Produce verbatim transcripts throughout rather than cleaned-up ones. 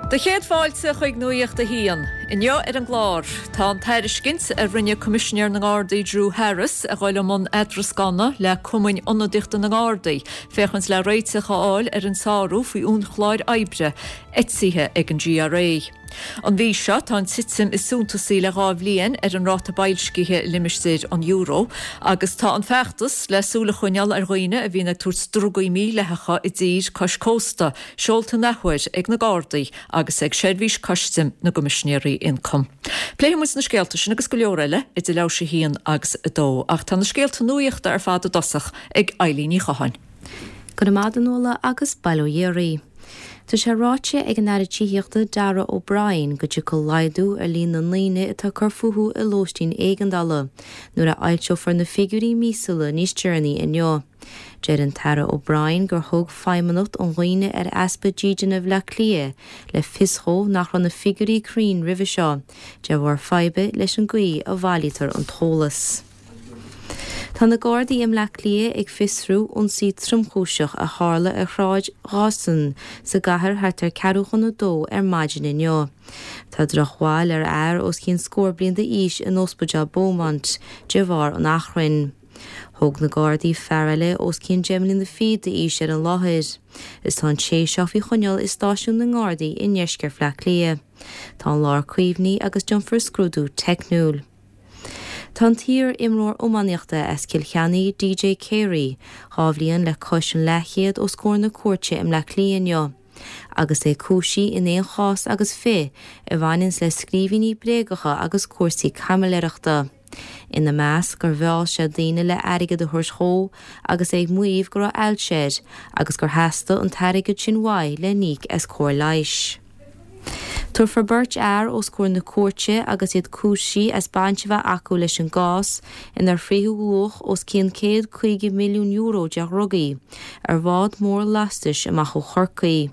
Do chéad fáilte chuig Nuacht a hAon. Inniu ar an gclár, tá an tairiscint a rinne Coimisinéir na nGardaí Drew Harris a ghoil mun eadrascána le cumainn ionadaíochta na nGardaí, féachaint le réiteach a fháil ar an sárú faoi uainchlár oibre eisithe ag an G R A. An mhí seo tá an titim is suntasaí le dhá bhliain ar an ráta boilscithe limistéar an euro, agus tá an feachtas le súil a choinneáil ar dhaoine a bhíonn ag tabhairt drugaí mídhleathacha i dtír cois cósta, seolta athuair ag na Gardaí agus ag seirbhís custaim na gCoimisinéirí Ioncaim. Pléifimid na scéalta sin agus go leor eile idir leathuair tar éis a haon agus a dó, ach tá na scéalta nuachta ar fad i dtosach ag Eilín Ní Chatháin. Go maidin Nuala agus bail ó Dhia oraibh. Tá sé ráite ag an Aire Tithíochta Darragh O'Brien go dtiocfaidh laghdú ar líon na ndaoine atá ag cur fúthu i lóistín éigeandála, nuair a fhoilseofar na figiúirí míosúla níos deireanaí inniu. Deir an tAire O'Brien gur thug Feidhmeannacht um Dhaoine ar Easpa Dídine Bhaile Átha Cliath le fios dó nach raibh na figiúirí cruinn roimhe seo, de bharr faidhbe leis an gcaoi a bhailítear an t-eolas. Tá na Gardaí i mBleá Cliath ag fiosrú ionsaí tromchúiseach a tharla ar Shráid Dawson sa gcathair thart ar ceathrú chun a dó ar maidin inniu. Tá drochbhail ar fhear os cionn scór bliain d'aois in Ospidéal Beaumont de bharr an achrainn. Thóg na Gardaí fear eile os cionn deich mbliana fichead d'aois ar an láthair. Is tá an té seo faoi choinneáil i stáisiún na nGardaí i ndeisceart Bhaile Átha Cliath. Tá an láthair caomhnaithe agus déanfar scrúdú teicniúil. Tá an t-iar-imreoir iománaíochta as Cill Chainnigh D J Carey, dhá bhliain le cois an leathchéad os comhair na cúirte i mBleá Cliath inniu. Agus é cúisithe in aon chás agus fiche a bhaineann le scríbhinní bréagacha agus cúrsaí caimiléireachta. Ina measc gur mheall sé daoine le airgead a thabhairt dó agus é ag maíomh go raibh ailse air agus gur theastaigh an t-airgead sin uaidh le n-íoc as cóir leighis. Tabharfar beirt fhear os comhair na cúirte agus iad cúisithe as baint a bheith acu leis an gcás inar frítheadh luach os cionn céad caoga milliún euro de dhrugaí ar bhád mór lastais amach ó Chorcaigh.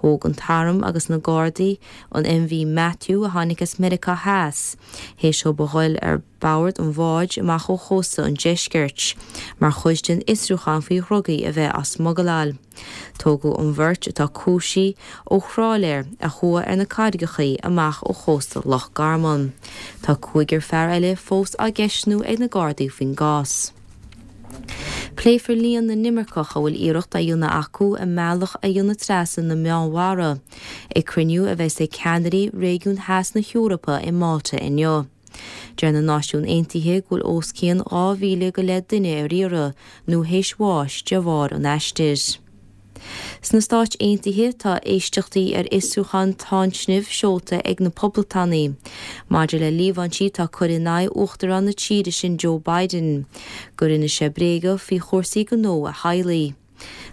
Thóg an t-arm agus na Gardaí an M V Matthew a tháinig as Meiriceá Theas, théis dóibh a ghoil ar bord an bháid amach ó chósta an deiscirt, mar chuid den fhiosrúchán faoi dhrugaí a bheith á smugaláil. Tógadh an bheirt atá cúisithe ó thrálaer a chuaigh ar na carraigeacha amach ó chósta Loch Garman. Tá cúigear fear eile fós á gceistniú ag na Gardaí faoin gcás. Pléifear líon na n-imirceach a bhfuil iarracht á dhéanamh acu a mbealach a dhéanamh trasna na Meánmhara, ag cruinniú a bheas ag ceannairí réigiún theas na hEorpa i Malta inniu. Deir na Náisiúin Aontaithe go bhfuil os cionn dhá mhíle go leith duine ar iarraidh nó théis bháis de bharr an aistir. Sna Stáit Aontaithe tá éisteachtaí ar fhiosrúchán táinsnimh seolta ag na Poblachtánaigh. Maidir le líomhaintí atá curtha in aghaidh Uachtarán na tíre sin Joe Biden, gur rinne sé bréaga faoi chúrsaí gnó a theaghlaigh.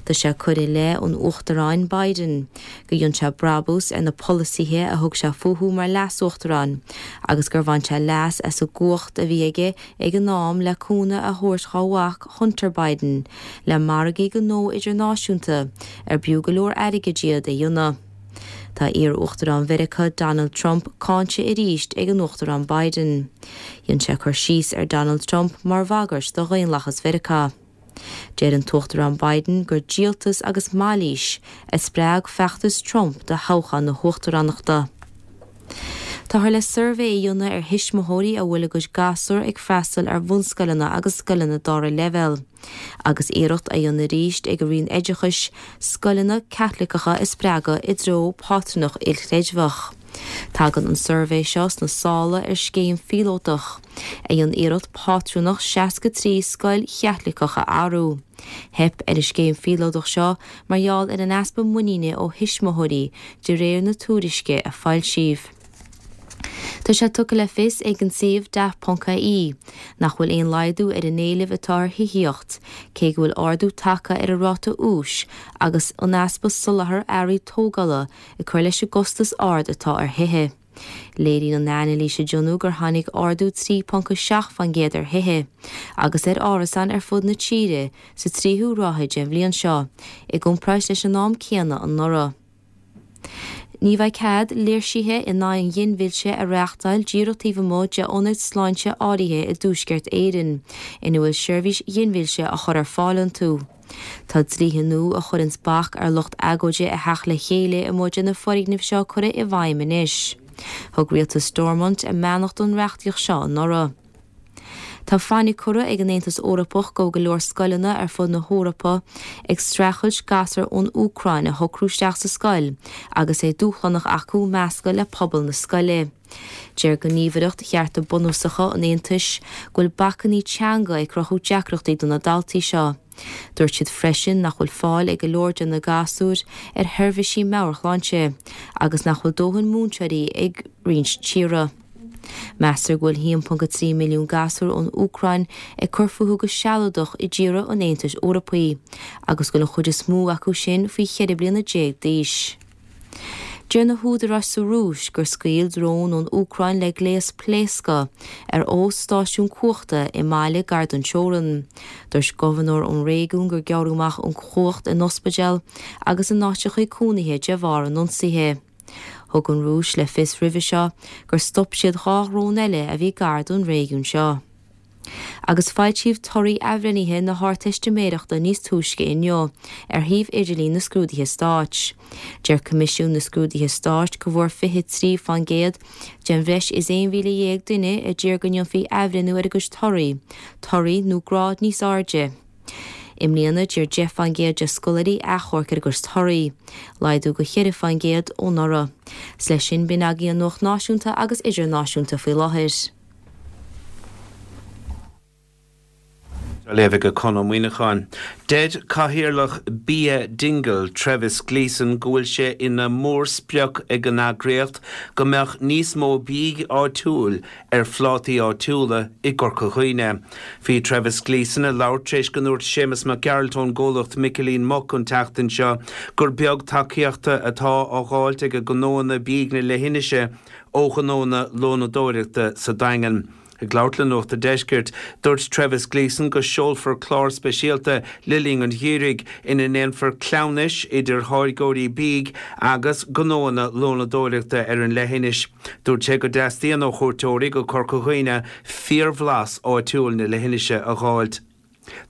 Tá sé curtha i leith an Uachtaráin Biden, go dhein sé brabús ar na polasaithe a thug sé fúthu mar leas-uachtarán, agus gur bhain sé leas as an gcumhacht a bhí aige ag an am le cúnamh a thabhairt dá mhac Hunter Biden, le margaí gnó idirnáisiúnta ar b'fhiú go leor airgid iad a dhéanamh. Tá iar-uachtarán Mheiriceá Donald Trump cáinte arís ag an Uachtarán Biden. Dhein sé cur síos ar Donald Trump mar bhagairt do dhaonlathas Mheiriceá. Deir an tUachtarán Biden gur díoltas agus mailís a spreag feachtas Trump do thoghchán na huachtaránachta. Táthar le suirbhé a dhéanamh ar thuismitheoirí a bhfuil a gcuid gasúr ag freastal ar bhunscoileanna agus scoileanna dara leibhéal. Agus iarracht á dhéanamh arís ag an Roinn Oideachais scoileanna Caitliceacha a spreagadh i dtreo pátrúnacht ilchreidmheach. Tagann an suirbhé seo sna sála ar scéim phíolótach, a dhein iarracht pátrúnacht seasca trí scoil Chaitliceach a athrú. Theip ar an scéim phíolótach seo mar gheall ar an easpa muiníne ó thuismitheoirí de réir na tuairisce a foilsíodh. Tá sé tugtha le fios ag an suíomh daft ponc I E nach bhfuil aon laghdú ar an éileamh atá ar thithíocht, cé go bhfuil ardú tagtha ar an ráta úis agus an easpa soláthar earraí tógála ag cur leis an gcostas ard atá ar thithe. Léiríonn an anailís a rinneadh gur tháinig ardú trí ponc seacht faoin gcéad ar thithe, agus ar árasáin ar fud na tíre sa tríú ráithe den bhliain seo, i gcomparáid leis an am céanna anuraidh. Ní bheidh cead léirsithe in aghaidh an ghinmhillte a reáchtáil díreach taobh amuigh de ionaid sláinte áirithe i dTuaisceart Éireann ina bhfuil seirbhís ghinmhillte á chur ar fáil iontu. Tá dlíthe nua a chuireanns bac ar lucht agóide a theacht le chéile amuigh de na foirgnimh seo curtha i bhfeidhm anois. Thug rialtas Stormont a mbeannacht don reachtaíocht seo anuraidh. Tá fainic curtha ag an Aontas Eorpach go bhfuil go leor scoileanna ar fud na hEorpa ag streachailt gasúir ón Úcráin a shocrú isteach sa scoil agus é dúshlánach acu meascadh le pobal na scoile. Deir Gníomhaireacht Chearta Bunúsacha an Aontais go bhfuil bacainní teanga ag cruthú deacrachtaí do na daltaí seo. Dúirt siad freisin nach bhfuil fáil ag go leor de na gasúir ar sheirbhísí meabhairshláinte agus nach bhfuil dóthain múinteoirí ag roinnt tíortha. Meastar go bhfuil a haon ponc a trí milliún gasúr ón Úcráin ag cur fúthu go sealadach i dtíortha an Aontais Eorpaigh agus go bhfuil an chuid is mó acu sin faoi cheithre bliana déag d'aois. Deir na húdaráis sa Rúis gur scaoil drón ón Úcráin le gléas pléasctha ar fho-stáisiún cumhachta i mbaile gar don teorainn. Dúirt gobharnóir ón réigiún gur gearradh amach an chumhacht in ospidéal agus in áiteacha cónaithe de bharr an ionsaithe. Thug an Rúis le fios roimhe seo gur stop siad dhá dhrón eile a bhí gar don réigiún seo. Agus foilsíodh torthaí athbhreithnithe na hArdteistiméireachta níos túisce inniu ar shuíomh idirlín na Scrúduithe Stáit. Deir Coimisiún na Scrúduithe Stáit go bhfuair fiche trí faoin gcéad den bhreis is aon mhíle dhéag duine a d'iarr go ndéanfaí athbhreithniú ar a gcuid torthaí, torthaí nó grád níos airde. I mbliana, d'iarr deich faoin gcéad de scoláirí achomharc ar a gcuid torthaí, laghdú de cheithre faoin gcéad ó anuraidh. 'S leis sin, b'in agaibh an nuacht náisiúnta agus idirnáisiúnta faoi láthair. Á léamh ag Conn Ó Muíneacháin. Deir Cathaoirleach Bia Dingle, Trevis Gleeson, go bhfuil sé ina mhórsprioc ag an eagraíocht go mbeadh níos mó bídh áitiúil ar phlátaí áitiúla i gCorca Dhuibhne. Bhí Trevis Gleeson ag labhairt tar éis go ndúirt Séamus Mac Gearailt ón gcomhlacht Micilín Muc an tseachtain seo gur beag tacaíochta atá á dh'fháilt ag gnóanna bídh na leithinise ó ghnóanna lónadóireachta sa Daingean. Ag labhairt le Nuacht a' Deiscirt, dúirt Trevis Gleeson go seolfar clár speisialta le linn an gheimhridh ina ndéanfar cleamhnais idir tháirgeoirí bídh agus gnóanna lónadóireachta ar an leithinis. Dúirt sé go dteastaíonn ó chuairteoirí go Corca Dhuibhne fíorbhlas áitiúil na leithinise a dh'fháilt.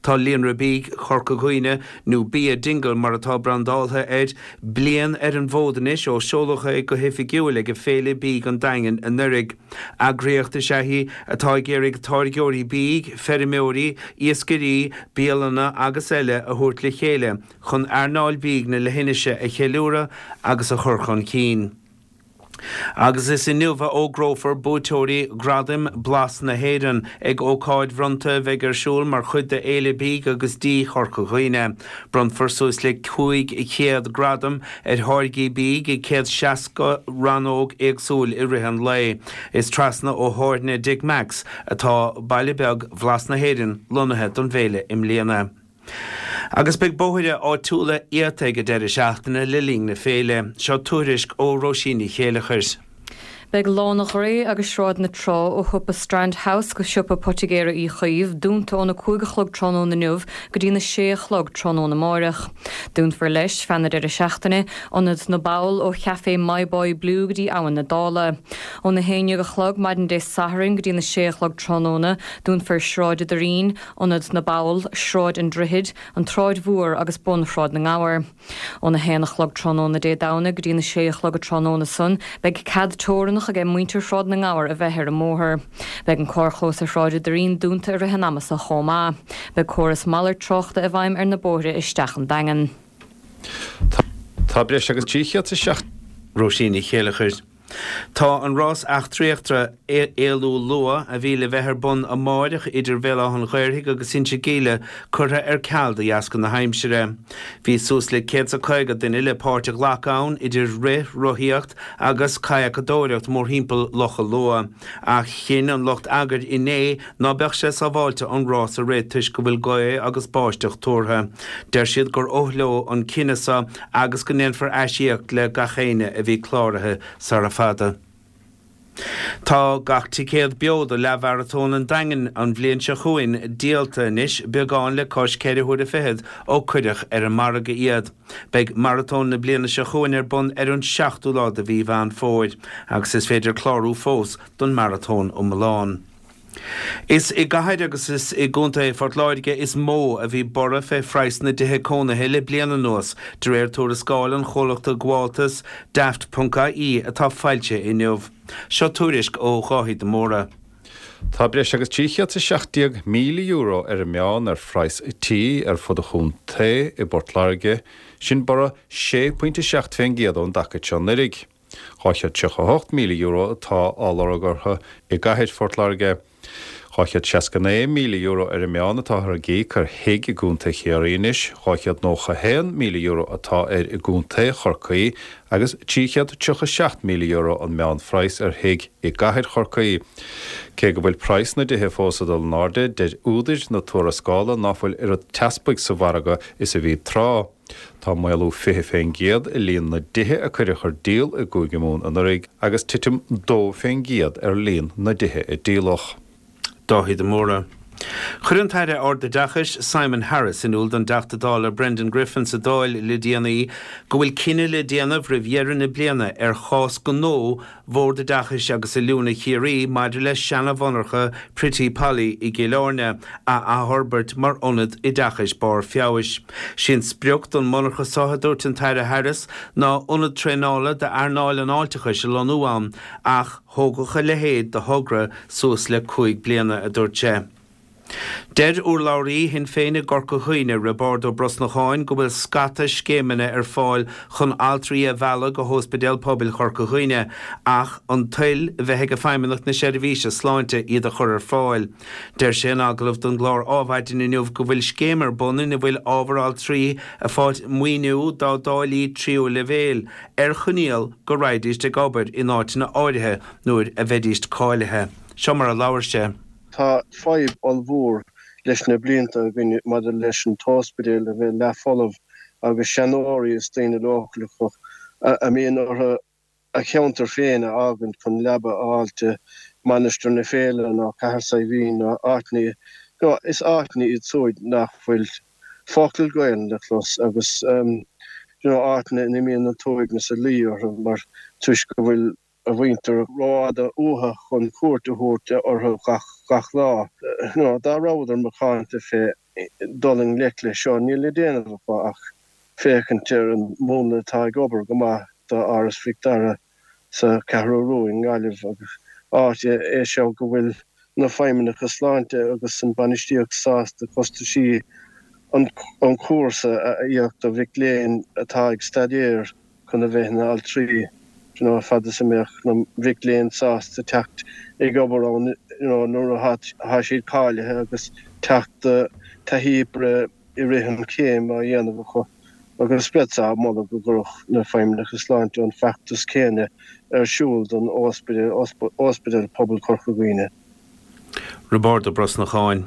Tá Líonra Bídh Chorca Dhuibhne, nó Bia Dingle mar atá brandáltha air, bliain ar an bhfód anois ó seoladh é go hoifigiúil ag Féile Bídh an Daingin anuraidh. Eagraíocht is ea í atá ag iarraidh táirgeoirí bídh, feirmeoirí, iascairí, bialanna agus eile a thabhairt le chéile chun earnáil bídh na leithinise a cheiliúradh agus a chur chun cinn. Agus is inniu a fhógrófar buaiteoirí Ghradaim Blas na hÉireann ag ócáid bhronnta a bheidh ar siúl mar chuid de Fhéile Bídh agus Dí Chorca Dhuibhne. Bronnfar suas le cúig chéad gradam ar tháirgí bídh i céad seasca rannóg éagsúil i rith an lae. Is trasna ó thábhairne Dick Mack's atá baile beag Bhlas na hÉireann lonnaithe don bhféile i mbliana. Agus beidh bóithre áitiúla iata ag an deireadh seachtaine le linn na féile. Seo tuairisc ó Róisín Ní Chéileachair. Beidh Lána Ghré agus Sráid na Trá ó shiopa Strand House go siopa Poitigéara Uí Chaoimh dúnta óna cúig a chlog tráthnóna inniu go dtí na sé a chlog tráthnóna amáireach. Dúnfar leis, feadh na deireadh seachtaine, Ionad na bPoll ó Chaifé My Boy Blue go dtí Abhainn na Dála. Óna haon déag a chlog maidin Dé Sathairn go dtí na sé a chlog tráthnóna, dúnfar Sráid an Doirín, Ionad na bPoll, Sráid an Droichid, an tSráid Mhór agus bun Shráid na nGabhar. Óna haon a chlog tráthnóna Dé Domhnaigh go dtí na sé a chlog tráthnóna san, beidh cead teorannach aige muintir Shráid na nGabhar a bheith ar an mbóthar. Beidh an carrchlós ar Shráid an Doirín dúnta i rith an ama so chomh maith. Beidh córas malairt tráchta i bhfeidhm ar na bóithre isteach an Daingean. Tá breis agus trí chéad is seacht. Róisín Ní Chéileachair. Tá an rás eachtraíochta Éalú Luath, a bhí le bheith ar bun amáireach idir Bhéal Átha an Ghaorthaidh agus Inse Geimhle, curtha ar ceal de dheasca na haimsire. Bhí suas le céad 's a caoga duine le páirt a ghlacadh ann, idir rith, rothaíocht agus cadhacadóireacht mórthimpeall Locha Lua. Ach chinn an lucht eagair inné ná beadh sé sábháilte an rás a rith toisc go bhfuil gaoth agus báisteach tuartha. Deir siad gur oth leo an cinneadh so agus go ndéanfar aisíoc le gach éinne a bhí cláraithe sara fada. Tá gach ticéad beo do leathmharatón an Daingin an bhliain seo chugainn díolta anois, beagán le cois ceithre huaire fichead ó cuireadh ar an margadh iad. Beidh maratón na bliana seo chugainn ar bun ar an seachtú lá de mhí Mheán Fómhair agus is féidir clárú fós don maratón iomlán. Is i gcathair agus is i gContae Phort Láirge is mó a bhí borradh fé phraghas na dtithe cónaithe le bliain anuas, de réir tuarascáil an chomhlachta gabháltas Daft.ie atá foilsithe inniu. Seo tuairisc ó Dháithí de Mórdha. Tá breis agus trí chéad is seacht déag míle euro ar an meán ar phraghas tí ar fud an chontae i bPort Láirge, sin borradh sé pointe seacht fén gcéad ón dtaca seo anuraidh. dhá chéad tríocha a hocht míle euro atá á lorg orthu i gcathair Phort Láirge. dhá chéad seasca naoi míle euro ar an meán atáthar ag íoc ar thigh i gContae Chiarraí anois, dhá chéad nócha a haon míle euro atá air i gContae Chorcaí agus trí chéad tríocha seacht míle euro an meánphraghas ar thigh i gcathair Chorcaí. Cé go bhfuil praghas na dtithe fós ag dul in airde, deir údair na tuarascála ná fuil oiread teaspaigh sa mhargadh is a bhí tráth. Tá maolú fiche fén gcéad i líon na dtithe a cuireadh ar díol i gCúige Mumhan anuraidh agus titim dó fén gcéad ar líon na dtithe a díoladh. Dáithí de Mórdha. Chuir an tAire Ardoideachais Simon Harris in iúl don dTeachta Dála Brendan Griffin sa Dáil le déanaí go bhfuil cinneadh le déanamh roimh dheireadh na bliana ar chás gnó Bhord Oideachais agus Oiliúna Chiarraí maidir le seana-mhonarcha Pretty Polly i gCill Airne a athfhorbairt mar ionad oideachais barr feabhais. Sí an sprioc don mhonarcha seo, a dúirt an tAire Harris, ná ionad traenála d'earnáil an fháilteachais a lonnú ann ach thógfadh a leithéid de thogra suas le cúig bliana, a dúirt sé. Deir urlabhraí Shinn Féin i gCorca Dhuibhne, Roibeárd Ó Brosnacháin, go bhfuil scata scéimeanna ar fáil chun altraí a mhealladh go hÓspidéal Pobail Chorca Dhuibhne ach an toil a bheith ag Feidhmeannacht na Seirbhíse Sláinte iad a chur ar fáil. Deir sé in agallamh don gclár Ádhmhaidin inniu go bhfuil scéim ar bun ina bhfuil ábhar altraí ag fáilt maoiniú dá dtáillí tríú leibhéil ar choinníoll go raghaidíst ag obair in áiteanna áirithe nuair a bheidíst cáilithe. Seo mar a labhair sé. Tá fadhb ollmhór leis na blianta againn maidir leis an t-ospidéal a bheith leathfholamh agus seanóirí is daoine leochaileacha a mbíonn orthu a cheantar féin a fhágaint chun leaba a fháilt i Mainistir na Féile nó Cathair Saidhbhín nó áiteanna, nó is áiteanna iad súid nach bhfuil focal Gaelainn le clos agus you know áiteanna ina mbíonn an t-uaigneas ag luí orthu mar toisc go bhfuil a mhuintir rófhada uathu chun cuairt a thabhairt orthu gach lá. Nó dá rabhadar macánta fé dul i ngleic leis seo, níl le déanamh acu ach féachaint ar an múnla atá ag obair go maith do Áras Mhic Dara sa Cheathrú Rua i nGaillimh agus áit é seo go bhfuil na feidhmeannacha sláinte agus an bainistíocht sásta costaisí an chúrsa a íoc do mhic léinn atá ag staidéar chun a bheith ina altraí, you know, fad is a mbeadh na mhic léinn sásta teacht ag obair ann, you know, nuair atá siad cáilithe agus teacht do taithí oibre i rith an chéim á dhéanamh acu. Agus bheadh-sa ag moladh go gcuirfeadh na feidhmeannacha sláinte an feachtas céanna ar siúl don Ospidéal Pobail Chorca Dhuibhne. Roibeárd Ó Brosnacháin.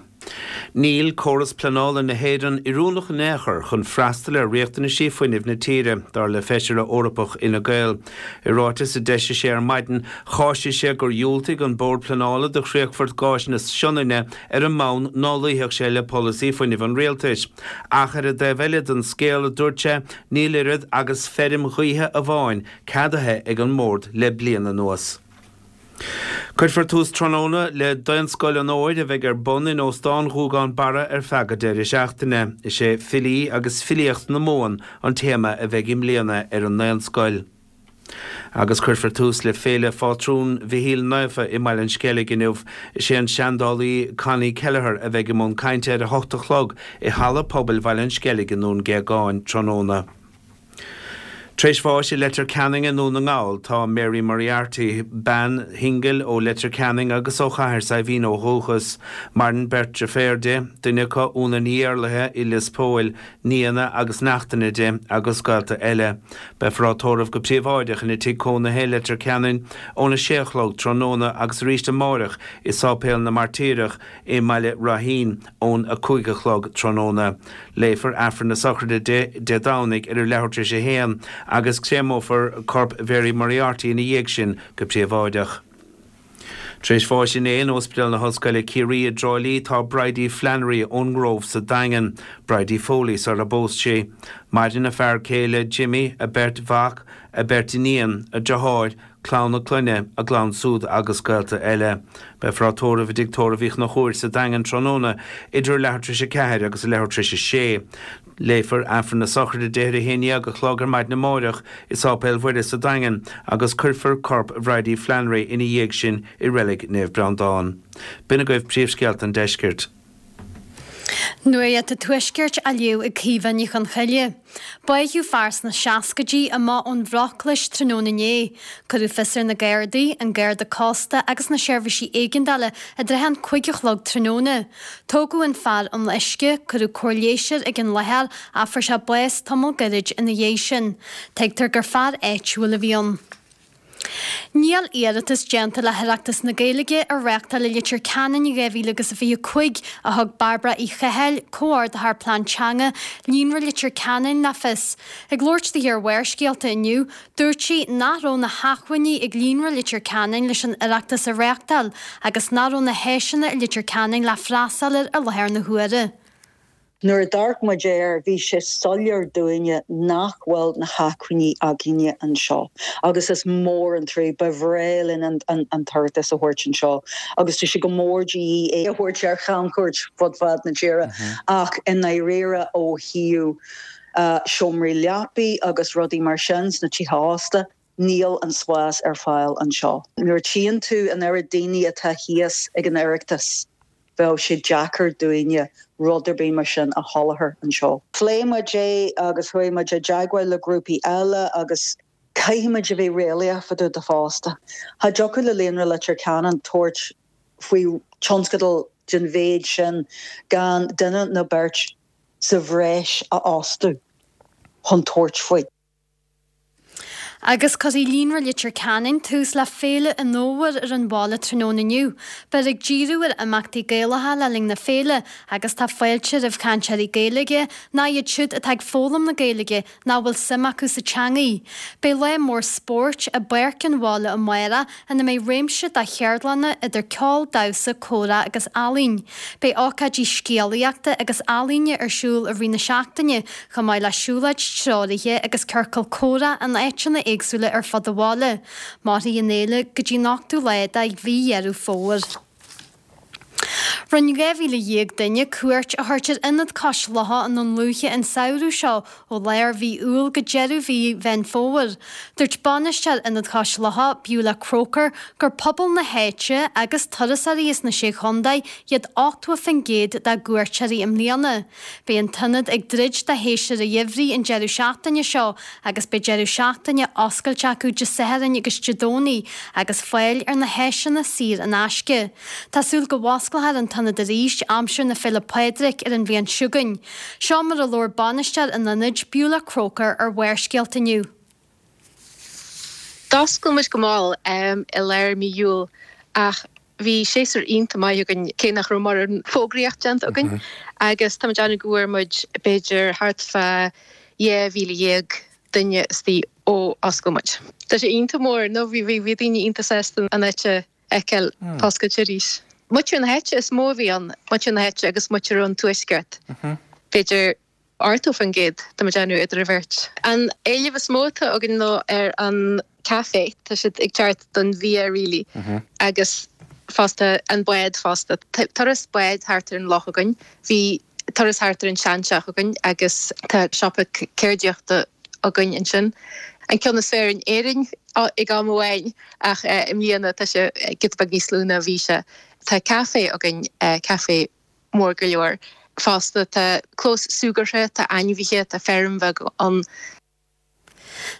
Níl córas pleanála na hÉireann oiriúnach in aon chor chun freastal ar riachtanaisí fuinnimh na tíre, dar le Feisire Eorpach Fhine Gael. I ráiteas a d'eisigh sé ar maidin, cháisigh sé gur dhiúltaigh an Bord Pleanála do chríochfort gáis na Sionainne ar an mbonn ná luífeadh sé le polasaí fuinnimh an rialtais. Ach ar an dtaobh eile den scéal, a dúirt sé, níl oiread agus feirm ghaoithe amháin ceadaithe ag an mBord le bliain anuas. Cuirfear tús tráthnóna le Daonscoil an Fhómhair a bheidh ar bun in Óstán Ghuagán Barra ar feadh an deireadh seachtaine. Is é Filí agus Filíocht na Mumhan an téama a bheidh i mbliana ar an nDaonscoil. Agus cuirfear tús le Féile Phátrún Mhichíl Naofa i mBaile an Sceilg inniu. Is é an seandálaí Connie Kelleher a bheidh i mbun cainte ar a hocht a chlog i Halla Pobail Bhaile an Sceilg i nDún Géagáin tráthnóna. Tar éis bháis i Leitir Ceanainn i nDún na nGall tá Mary Moriarty, bean shingil ó Leitir Ceanainn agus ó Chathair Saidhbhín ó dhúchas. Maireann beirt deirféar di, duine acu Úna Ní Éarlaithe i Lios Póil, nianna agus neachtanna di agus gaolta eile. Beifear á tórramh go príobháideach ina tigh cónaithe i Leitir Ceanainn óna sé a chlog tráthnóna agus arís amárach i Sáipéal na Mairtíreach i mBaile Ráithín ón a cúig a chlog tráthnóna. Léifear Aifreann na sochraide di Dé Domhnaigh ar a leathuair tar éis a haon agus créamófar corp Mhary Moriarty ina dhiaidh sin go príobháideach. Tar éis bháis inné in Ospidéal na hOllscoile Ciarraí i dTrá Lí tá Bridie Flannery ón nGrove sa Daingean, Bridie Foley sar a bpós sí. Maireann a fear céile Jimmy, a beirt mhac, a beirt iníon, a deartháir, clann a clainne, a gclann súd agus gaolta eile. Beifear á tórramh i dTigh Tórraimh Uí Chonchúir sa Daingean tráthnóna idir leathuair tar éis a ceathair agus a leathuair tar éis a sé. Léifear Aifreann na sochraide di ar a haon dhéag a chlog ar maidin amáireach i Sáipéal Mhuire sa Daingean agus cuirfear corp Bhridie Flannery ina dhiaidh sin i Reilig Naomh Breandán. B'in agaibh príomhscéalta an deiscirt. Nuacht an Tuaiscirt á léamh ag Caoimhe Ní Chonchoille. Báitheadh fear sna seascaidí amach ón Bhroc-Chluais tráthnóna inné. Cuireadh fios ar na Gardaí, an Garda Cósta agus na seirbhísí éigeandála i dtrátha an cúig a chlog tráthnóna. Tógadh an fear ón uisce, cuireadh cóir leighis air ag an láthair ach fuair sé bás tamall gairid ina dhiaidh sin. Tuigtear gur fear áitiúil a bhí ann. Níl iarratas déanta le hOireachtas na Gaeilge a reáchtáil i Leitir Ceanainn in dhá mhíle agus a fiche cúig, a thug Bairbre Uí Chathail, Comhordaitheoir Plean Teanga, Líonra Leitir Ceanainn le fios. Ag labhairt di ar Bharrscéalta inniu, dúirt sí nach raibh na hacmhainní ag Líonra Leitir Ceanainn leis an Oireachtas a reáchtáil agus nach raibh na háiseanna i Leitir Ceanainn le freastal air i láthair na huaire. Nuair a d'amharc muid air, bhí sé soiléir dúinne nach bhfuil na hacmhainní againne anseo agus is mór an trua, ba bhreá linn an tOireachtas a thabhairt anseo agus tá sé go mór de dhíth é a thabhairt ar chamchuairt fud fad na tíre ach i ndáiríre ó thaobh seomraí leapaí agus rudaí mar sin sna tithe ósta, níl an spás ar fáil anseo. Nuair a tchíonn tú an oiread daoine atá thíos ag an Oireachtas, bheadh sé deacair dúinne rud ar bith mar sin a sholáthar anseo. Phléigh muid é agus chuaigh muid i dteagmháil le grúpaí eile agus caithfidh muid a bheith réalaíoch fá dtaobh de fosta. Cha dtiocfadh le Líonra Leitir Ceanainn tabhairt faoi tionscadal den mhéid sin gan duine nó beirt sa bhreis a fhostú chun tabhairt faoi. Agus cuirfidh Líonra Leitir Ceanainn tús le Féile an Fhómhair ar an bhaile tráthnóna inniu. Beifear ag díriú ar imeachtaí Gaelacha le linn na féile agus tá fáilte roimh chainteoirí Gaeilge, nó iad siúd atá ag foghlaim na Gaeilge nó a bhfuil suim acu sa teangaidh. Beidh lá mór spóirt i bPáirc an Bhaile amárach ina mbeidh réimse de cheardlanna idir ceol, damhsa, comhrá agus ealaín. Beidh ócáidí scéalaíochta agus ealaíne ar siúl i rith na seachtaine, chomh maith le siúlóid treoraithe agus ciorcal comhrá in áiteanna éagsúla ar fud an bhaile. Mairfidh an fhéile go dtí an ochtú lá de mhí Dheireadh Fómhair. Rinne dhá mhíle dhéag duine cuairt a thabhairt ar Ionad Cois Locha i nDún Lúiche an samhradh seo ó lár mhí Iúil go deireadh mhí Mheán Fómhair. Dúirt bainisteoir Ionad Chois Locha, Beulah Croker, gur pobal na háite agus turasóirí as na Sé Chontae iad ochtó faoin gcéad dá gcuairteoirí i mbliana. Beidh an t-ionad ag druid do shéasúr an gheimhridh an deireadh seachtaine seo agus beidh deireadh seachtaine oscailte acu Dé Sathairn agus Dé Domhnaigh agus fáil ar na háiseanna saor in aisce. Tá súil go bhfosclófar an t-ionad arís aimsir na Féile Pádraig ar an bhliain seo chugainn. Seo mar a labhair bainisteoir an ionaid, Beulah Croker, ar Bharrscéalta inniu. D'oscail muid go mall i lár mí Iúil ach bhí séasúr iontach maith againn cé nach raibh mórán fógraíocht déanta againn agus tá muid ag déanamh go bhfuair muid b'fhéidir thart fá dhá mhíle dhéag duine istigh ó oscail muid. Tá sé iontach mór nó bhí bhí daoine iontach sásta an áit a fheiceáil oscailte arís. Muintir na háite is mó a bhí ann, muintir na háite agus muintir ón tuaisceart. B'fhéidir ochtó faoin gcéad, tá muid ag déanamh idir an bheirt. An éileamh is mó atá againn ná ar an café, tá siad ag teacht don bhia really agus fosta an bád fosta. Turas báid thart ar an loch againn, bhí turas thart ar an seanteach againn agus tá siopa ceardaíochta againn ansin. An ceann is fearr in Éirinn ag am amháin ach i mbliana tá sé giota beag níos lú ná a bhí sé. Tá café againn, café mór go leor fosta. Tá clós súgartha, tá ainmhithe, tá feirm bheag ann.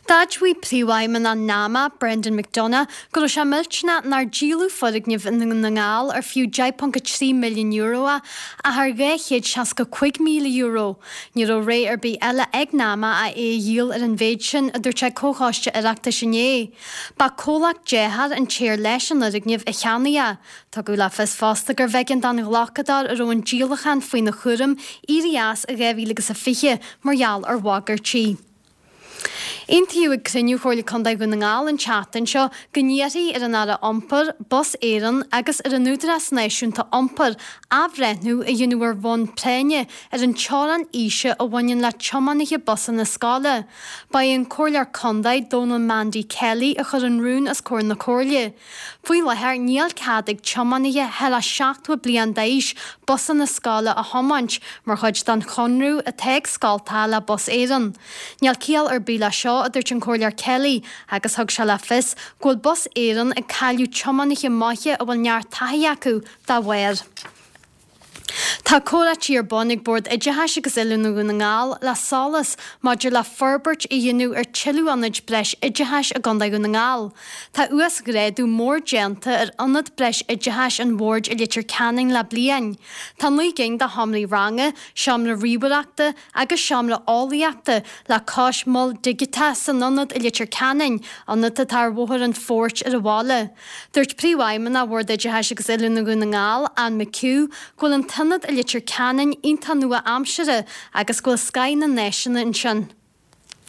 D'admhaigh Príomhfheidhmeannach NAMA, Brendan McDonagh, go raibh sé millteanach nár díoladh foirgneamh i nDún na nGall ar fiú deich ponc a trí milliún euro é ach ar dhá chéad seasca cúig míle euro. Ní raibh rogha ar bith eile ag NAMA ach é a dhíol ar an mhéid sin, a dúirt sé ag Comhchoiste Oireachtais inné. Ba comhlacht dearthár an té ar leis an fhoirgneamh a cheannaigh é. Tugadh le fios fosta gurbh éigean don ghlacadóir a raibh an díolachán faoina chúram éirí as i dhá mhíle agus a fiche mar gheall ar bhagairtí. Aontaíodh ag cruinniú Chomhairle Contae Dhún na nGall an tseachtain seo go n-iarrfaí ar an Aire Iompair, Bus Éireann agus ar an Údarás Náisiúnta Iompair athbhreithniú a dhéanamh ar bhonn práinne ar an teorainn aoise a bhaineann le tiománaithe busanna scoile. Ba é an Comhairleoir Contae, Dónal Mandy Kelly a chuir an rún os comhair na Comhairle. Faoi láthair níl cead ag tiománaithe thar a seachtó bliain d'aois busanna scoile a thiomáint mar chuid den chonradh atá ag scoltacha le Bus Éireann. Níl ciall ar bith leis seo, a dúirt an Comhairleoir Kelly, agus thug sé le fios go bhfuil Bus Éireann ag cailleadh tiománaithe maithe a bhfuil neart taithí acu dá bharr. Tá comhráití ar bun ag Bord Oideachais agus Oiliúna Dhún na nGall le SOLAS maidir le forbairt a dhéanamh ar tuilleadh ionaid breis oideachais i gContae Dhún na nGall. Tá uasghrádú mór déanta ar Ionad Breis Oideachais an Bhoird i Leitir Ceanainn le bliain. Tá naoi gcinn de sheomraí ranga, seomra ríomhaireachta agus seomra eolaíochta le cois mol digiteach san ionad i Leitir Ceanainn, ionad atá ar Bhóthar an Phoirt ar an bhaile. Dúirt Príomhfheidhmeannach Bhord Oideachais agus Oiliúna Dhún na nGall, Anne McHugh, go bhfuil an t-ionad i Leitir Ceanainn iontach nua-aimseartha agus go bhfuil scoth na n-áiseanna ansin.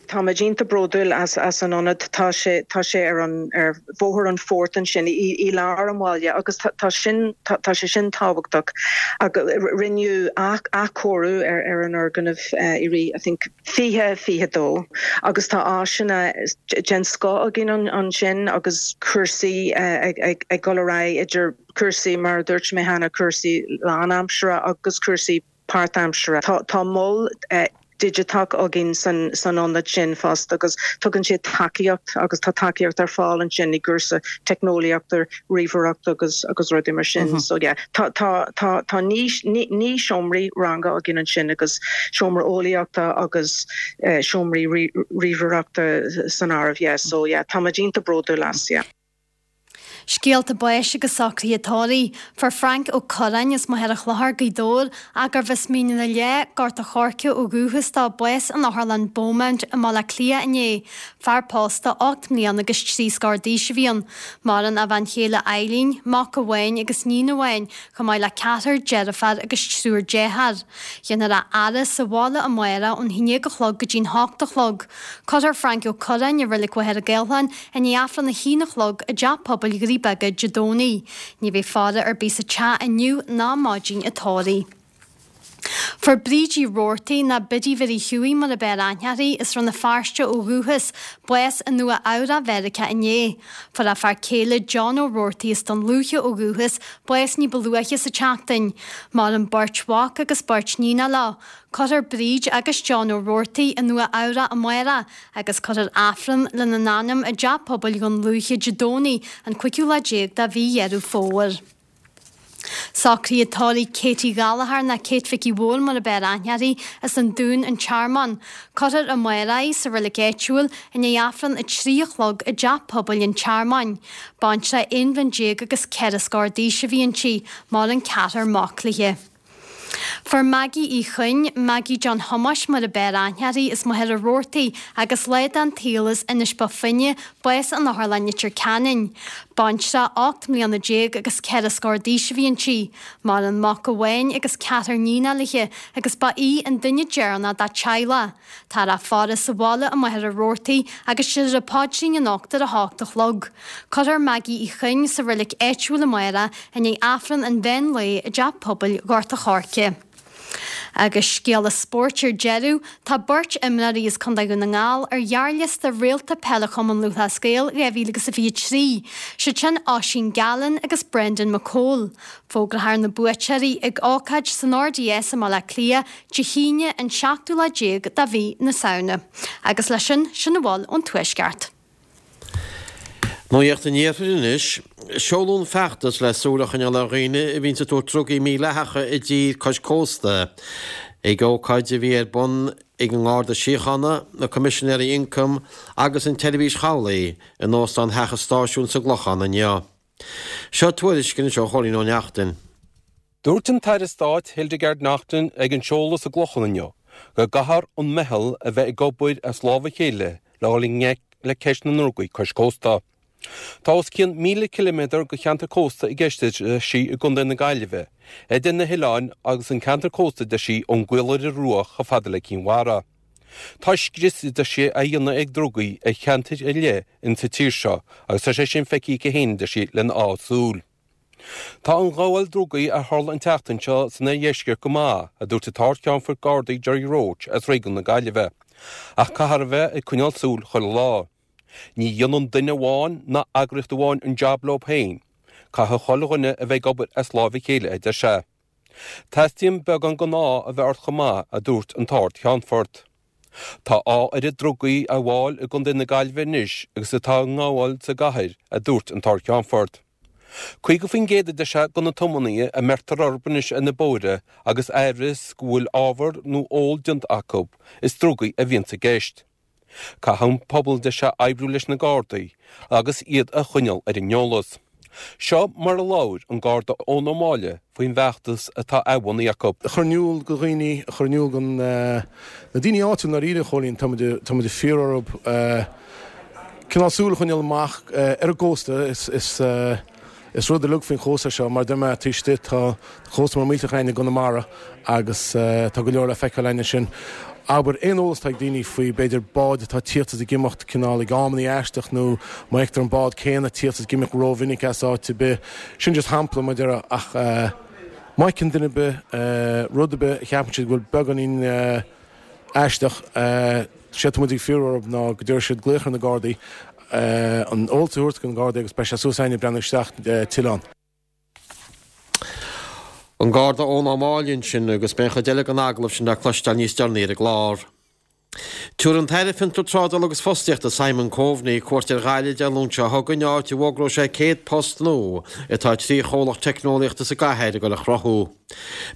Táimid iontach bródúil as as an ionad tá sé tá sé ar an ar Bhóthar an Phoirt ansin i i lár an bhaile agus tá sin tá sé sin tábhachtach agus rinneadh athchóiriú ar ar an fhoirgneamh i rith I think fiche fiche dó agus tá áiseanna den scoth againn ansin agus cúrsaí ag ag ag dul ar aghaidh idir cúrsaí mar a dúirt mé cheana cúrsaí lánaimseartha agus cúrsaí páirtaimseartha. Tá tá mol digiteach againn san san ionad sin fosta agus tugann sé tacaíocht agus tá tacaíocht ar fáil ansin i gcúrsa teicneolaíochta, ríomhaireacht agus agus rudaí mar sin. Mm -hmm. So yeah, tá tá tá tá naoi naoi seomraí ranga againn ansin agus seomra eolaíochta agus uh, seomraí ríomhaireachta san áireamh yeah. So yeah, táimid iontach bródúil as yeah. Scéalta báis agus socruithe tórraimh, Fuair Frank Ó Curráin as Machaire Chlochair, Gaoth Dobhair, gurbh as Mín na Leá, Gort a' Choirce ó dhúchas dó, bás in Otharlann Beaumont i mBaile Átha Cliath inné. Fear pósta ocht mbliana agus trí scór d'aois a bhí ann. Maireann a bhean chéile Eileen, mac amháin agus níon amháin, chomh maith le ceathrar deirfiúr agus triúr dearthár. Déanfar a fhaire sa bhaile amárach ón haon déag a chlog go dtí'n hocht a chlog. Cuirfear Frank Ó Curráin i Reilig Mhachaire Gathlán i ndiaidh Aifreann a haon a chlog i dTeach Pobail Dhoirí Beaga Dé Domhnaigh. Ní bheidh faire ar bith sa teach inniu ná maidin an tórraimh. Fuair Bríd Uí Roarty ná Biddy Mhary Hughie mar ab fhearr aithne uirthi as Rann na Feirste ó dhúchas, bás i Nua Eabhrac Mheiriceá inné. Fuair a fear céile John Ó Roarty as Dún Lúiche ó dhúchas, bás ní ba luaithe sa tseachtain. Maireann beirt mhac agus beirt níonacha leo. Cuirfear Bríd agus John Ó Roarty i Nua Eabhrac amárach agus cuirfear Aifreann lena n-anam i dTeach Pobail Dhún Lúiche Dé Domhnaigh an cúigiú lá déag de mhí Dheireadh Fómhair. Socruithe tórraimh Katie Gallagher ná Kate Mhicí Mhóir mar ab fhearr aithne uirthi as an Dún an Tearmann. Cuirfear amárach í sa reilig áitiúil i ndiaidh Aifreann a trí a chlog i dTeach Pobail an Tearmainn. Baintreach aon bhliain déag agus ceithre scór d'aois a bhí inti, maireann ceathrar mac léi. Fuair Maggie Uí Chuinn, Maggie John Thomáis mar ab fhearr aithne uirthi as Machaire Rabhartaigh agus lá den tsaol as Inis Bó Finne, bás in Otharlann Leitir Ceanainn. Baintreach ocht mbliana déag agus ceithre scór d'aois a bhí inti. Maireann mac amháin agus ceathrar níonacha léi agus ba í an duine deireanach dá teaghlach. Táthar á faire sa bhaile i Machaire Rabhartaigh agus déarfar an paidrín anocht ar a hocht a chlog. Cuirfear Maggie Uí Chuinn sa reilig áitiúil amárach i ndiaidh Aifreann an mheán lae i dTeach Pobail Ghort a' Choirce. Agus scéala spóirt ar deireadh, tá beirt imreoirí as Contae Dhún na nGall ar ghearrliosta Réalta Peile Chumann Lúthchleas Gael dhá mhíle agus a fiche trí, siad sin Oisín Gallen agus Brendan McCole. Fógrófar na buaiteoirí ag ócáid san R D S i mBaile Átha Cliath Dé hAoine an seachtú lá déag de mhí na Samhna. Agus leis sin, sin a bhfuil ón Tuaisceart. Nuacht an Iarthair anois, seoladh an feachtas le súil a choinneáil ar dhaoine a bhíonn ag tabhairt drugaí mídhleathacha i dtír cois cósta. Ag ócáid a bhí ar bun ag an nGarda Síochána, na Coimisinéirí Ioncaim agus an tSeirbhís Chabhlaigh in Óstán Theach an Stáisiúin sa gClochán inniu. Seo tuairisc anseo ó Chóilín Ó Neachtain. Dúirt an tAire Stáit Hildegarde Naughton ag an seoladh sa gClochán inniu go gcaithfear an meitheal a bheith ag obair as lámh a chéile le dhul i ngleic le ceist na ndrugaí cois cósta. Tá os cionn míle ciliméadar de cheantar cósta i gceist sí i gContae na Gaillimhe, idir na hoileáin agus an ceantar cósta de sí ón gCaoláire Rua chomh fada le Cinn Mhara. Tá scrios, a deir sí, á dhéanamh ag drugaí ar cheantair ar leith in sa tír seo agus tá sé sin feicthe aici féin, a deir sí, lena dhá súil. Tá an ghabháil drugaí a tharla an tseachtain seo san oirdheisceart go maith, a dúirt an tArd-Cheannfort Gardaí Gerry Roche as réigiún na Gaillimhe. Ach caithfear a bheith ag coinneáil súil chuile lá. Ní dhéanann duine amháin ná eagraíocht amháin an jab leo féin. Caithfidh chuile dhuine a bheith ag obair as láimh a chéile, a deir sé. Teastaíonn beagán den ádh a bheith ort chomh maith, a dúirt an tArd-Cheannfort. Tá a oiread drugaí á ngabháil i gContae na Gaillimhe anois agus atá á ngabháil sa gcathair, a dúirt an tArd-Cheannfort. Caoga faoin gcéad, a deir sé, de na tiománaithe a mbeirtear orthu anois ar na bóithre agus amhras go bhfuil ábhar nó ól déanta acu, is drugaí a bhíonns i gceist. Caithfidh an pobal, a deir sé, oibriú leis na Gardaí agus iad a choinneáil ar an eolas. Seo mar a labhair an Garda Eoin Ó Máille faoin bhfeachtas atá á bhunú acu. A chur in iúl do dhaoine, a chur in iúl do na daoine áitiúil ndáiríre, a Chóilín, tá muid tá muid ag fiafraí orthu cineál súil a choinneáil amach ar an gcósta. Is Is rud uilig faoin chósta seo, mar a deir mé, taobh istigh tá cósta mór millteach againn i gConamara agus tá go leor le feiceáil againn ansin. Abair, aon eolas atá ag daoine faoi, b'fhéidir, báid atá ag tíocht is ag imeacht cineál ag amannaí aisteach nó má fheictear an bád céanna ag tíocht is ag imeacht rómhinic as áit ar bith. Sin just shampla, mar a déarfá, ach má fheiceann duine ar bith rud ar bith a cheapann siad go bhfuil beagáinín aisteach, séard atá muid ag fiafraí orthu ná go dtabharfaidh siad glaoch ar na Gardaí, an eolas a thabhairt do na Gardaí agus beidh sé suas againn ag breathnú isteach tuilleadh ann. An Garda Eoin Ó Máille ansin agus beidh an chuid eile den agallamh sin le cloisteáil níos deireanaí ar an gclár. Tabharfaidh an tAire Fiontar Trádála agus Fostaíochta Simon Coveney cuairt ar Ghaillimh Dé Luain seo chugainn áit a bhfógróidh sé céad post nua atá trí chomhlacht teicneolaíochta sa gcathair ag dul a chruthú.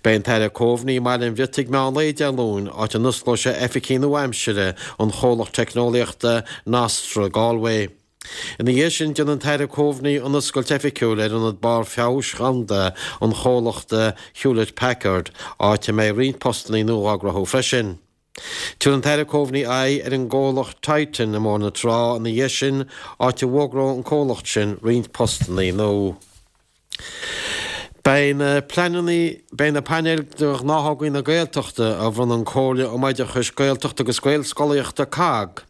Beidh an tAire Coveney i mBaile an Bhriotaigh meán lae Dé Luain áit a n-osclóidh sé oifigí nua-aimsire an chomhlacht teicneolaíochta Nostra Galway. Ina dhiaidh sin déanfaidh an tAire Coveney an oscailt oifigiúil ar ionad barr feabhais dhomhanda an chomhlachta Hewlett Packard áit a mbeidh roinnt postanna nua á gcruthú freisin. Tabharfaidh an tAire Coveney aghaidh ar an gcomhlacht Titan i mBóthar na Trá ina dhiaidh sin, áit a bhfógróidh an comhlacht sin roinnt postanna nua. Beidh na pleananna, beidh na painéil de ghnáthógaí na Gaeltachta a bhronn an Comhairle um Oideachais Gaeltachta agus Gaelscolaíochta, COGG,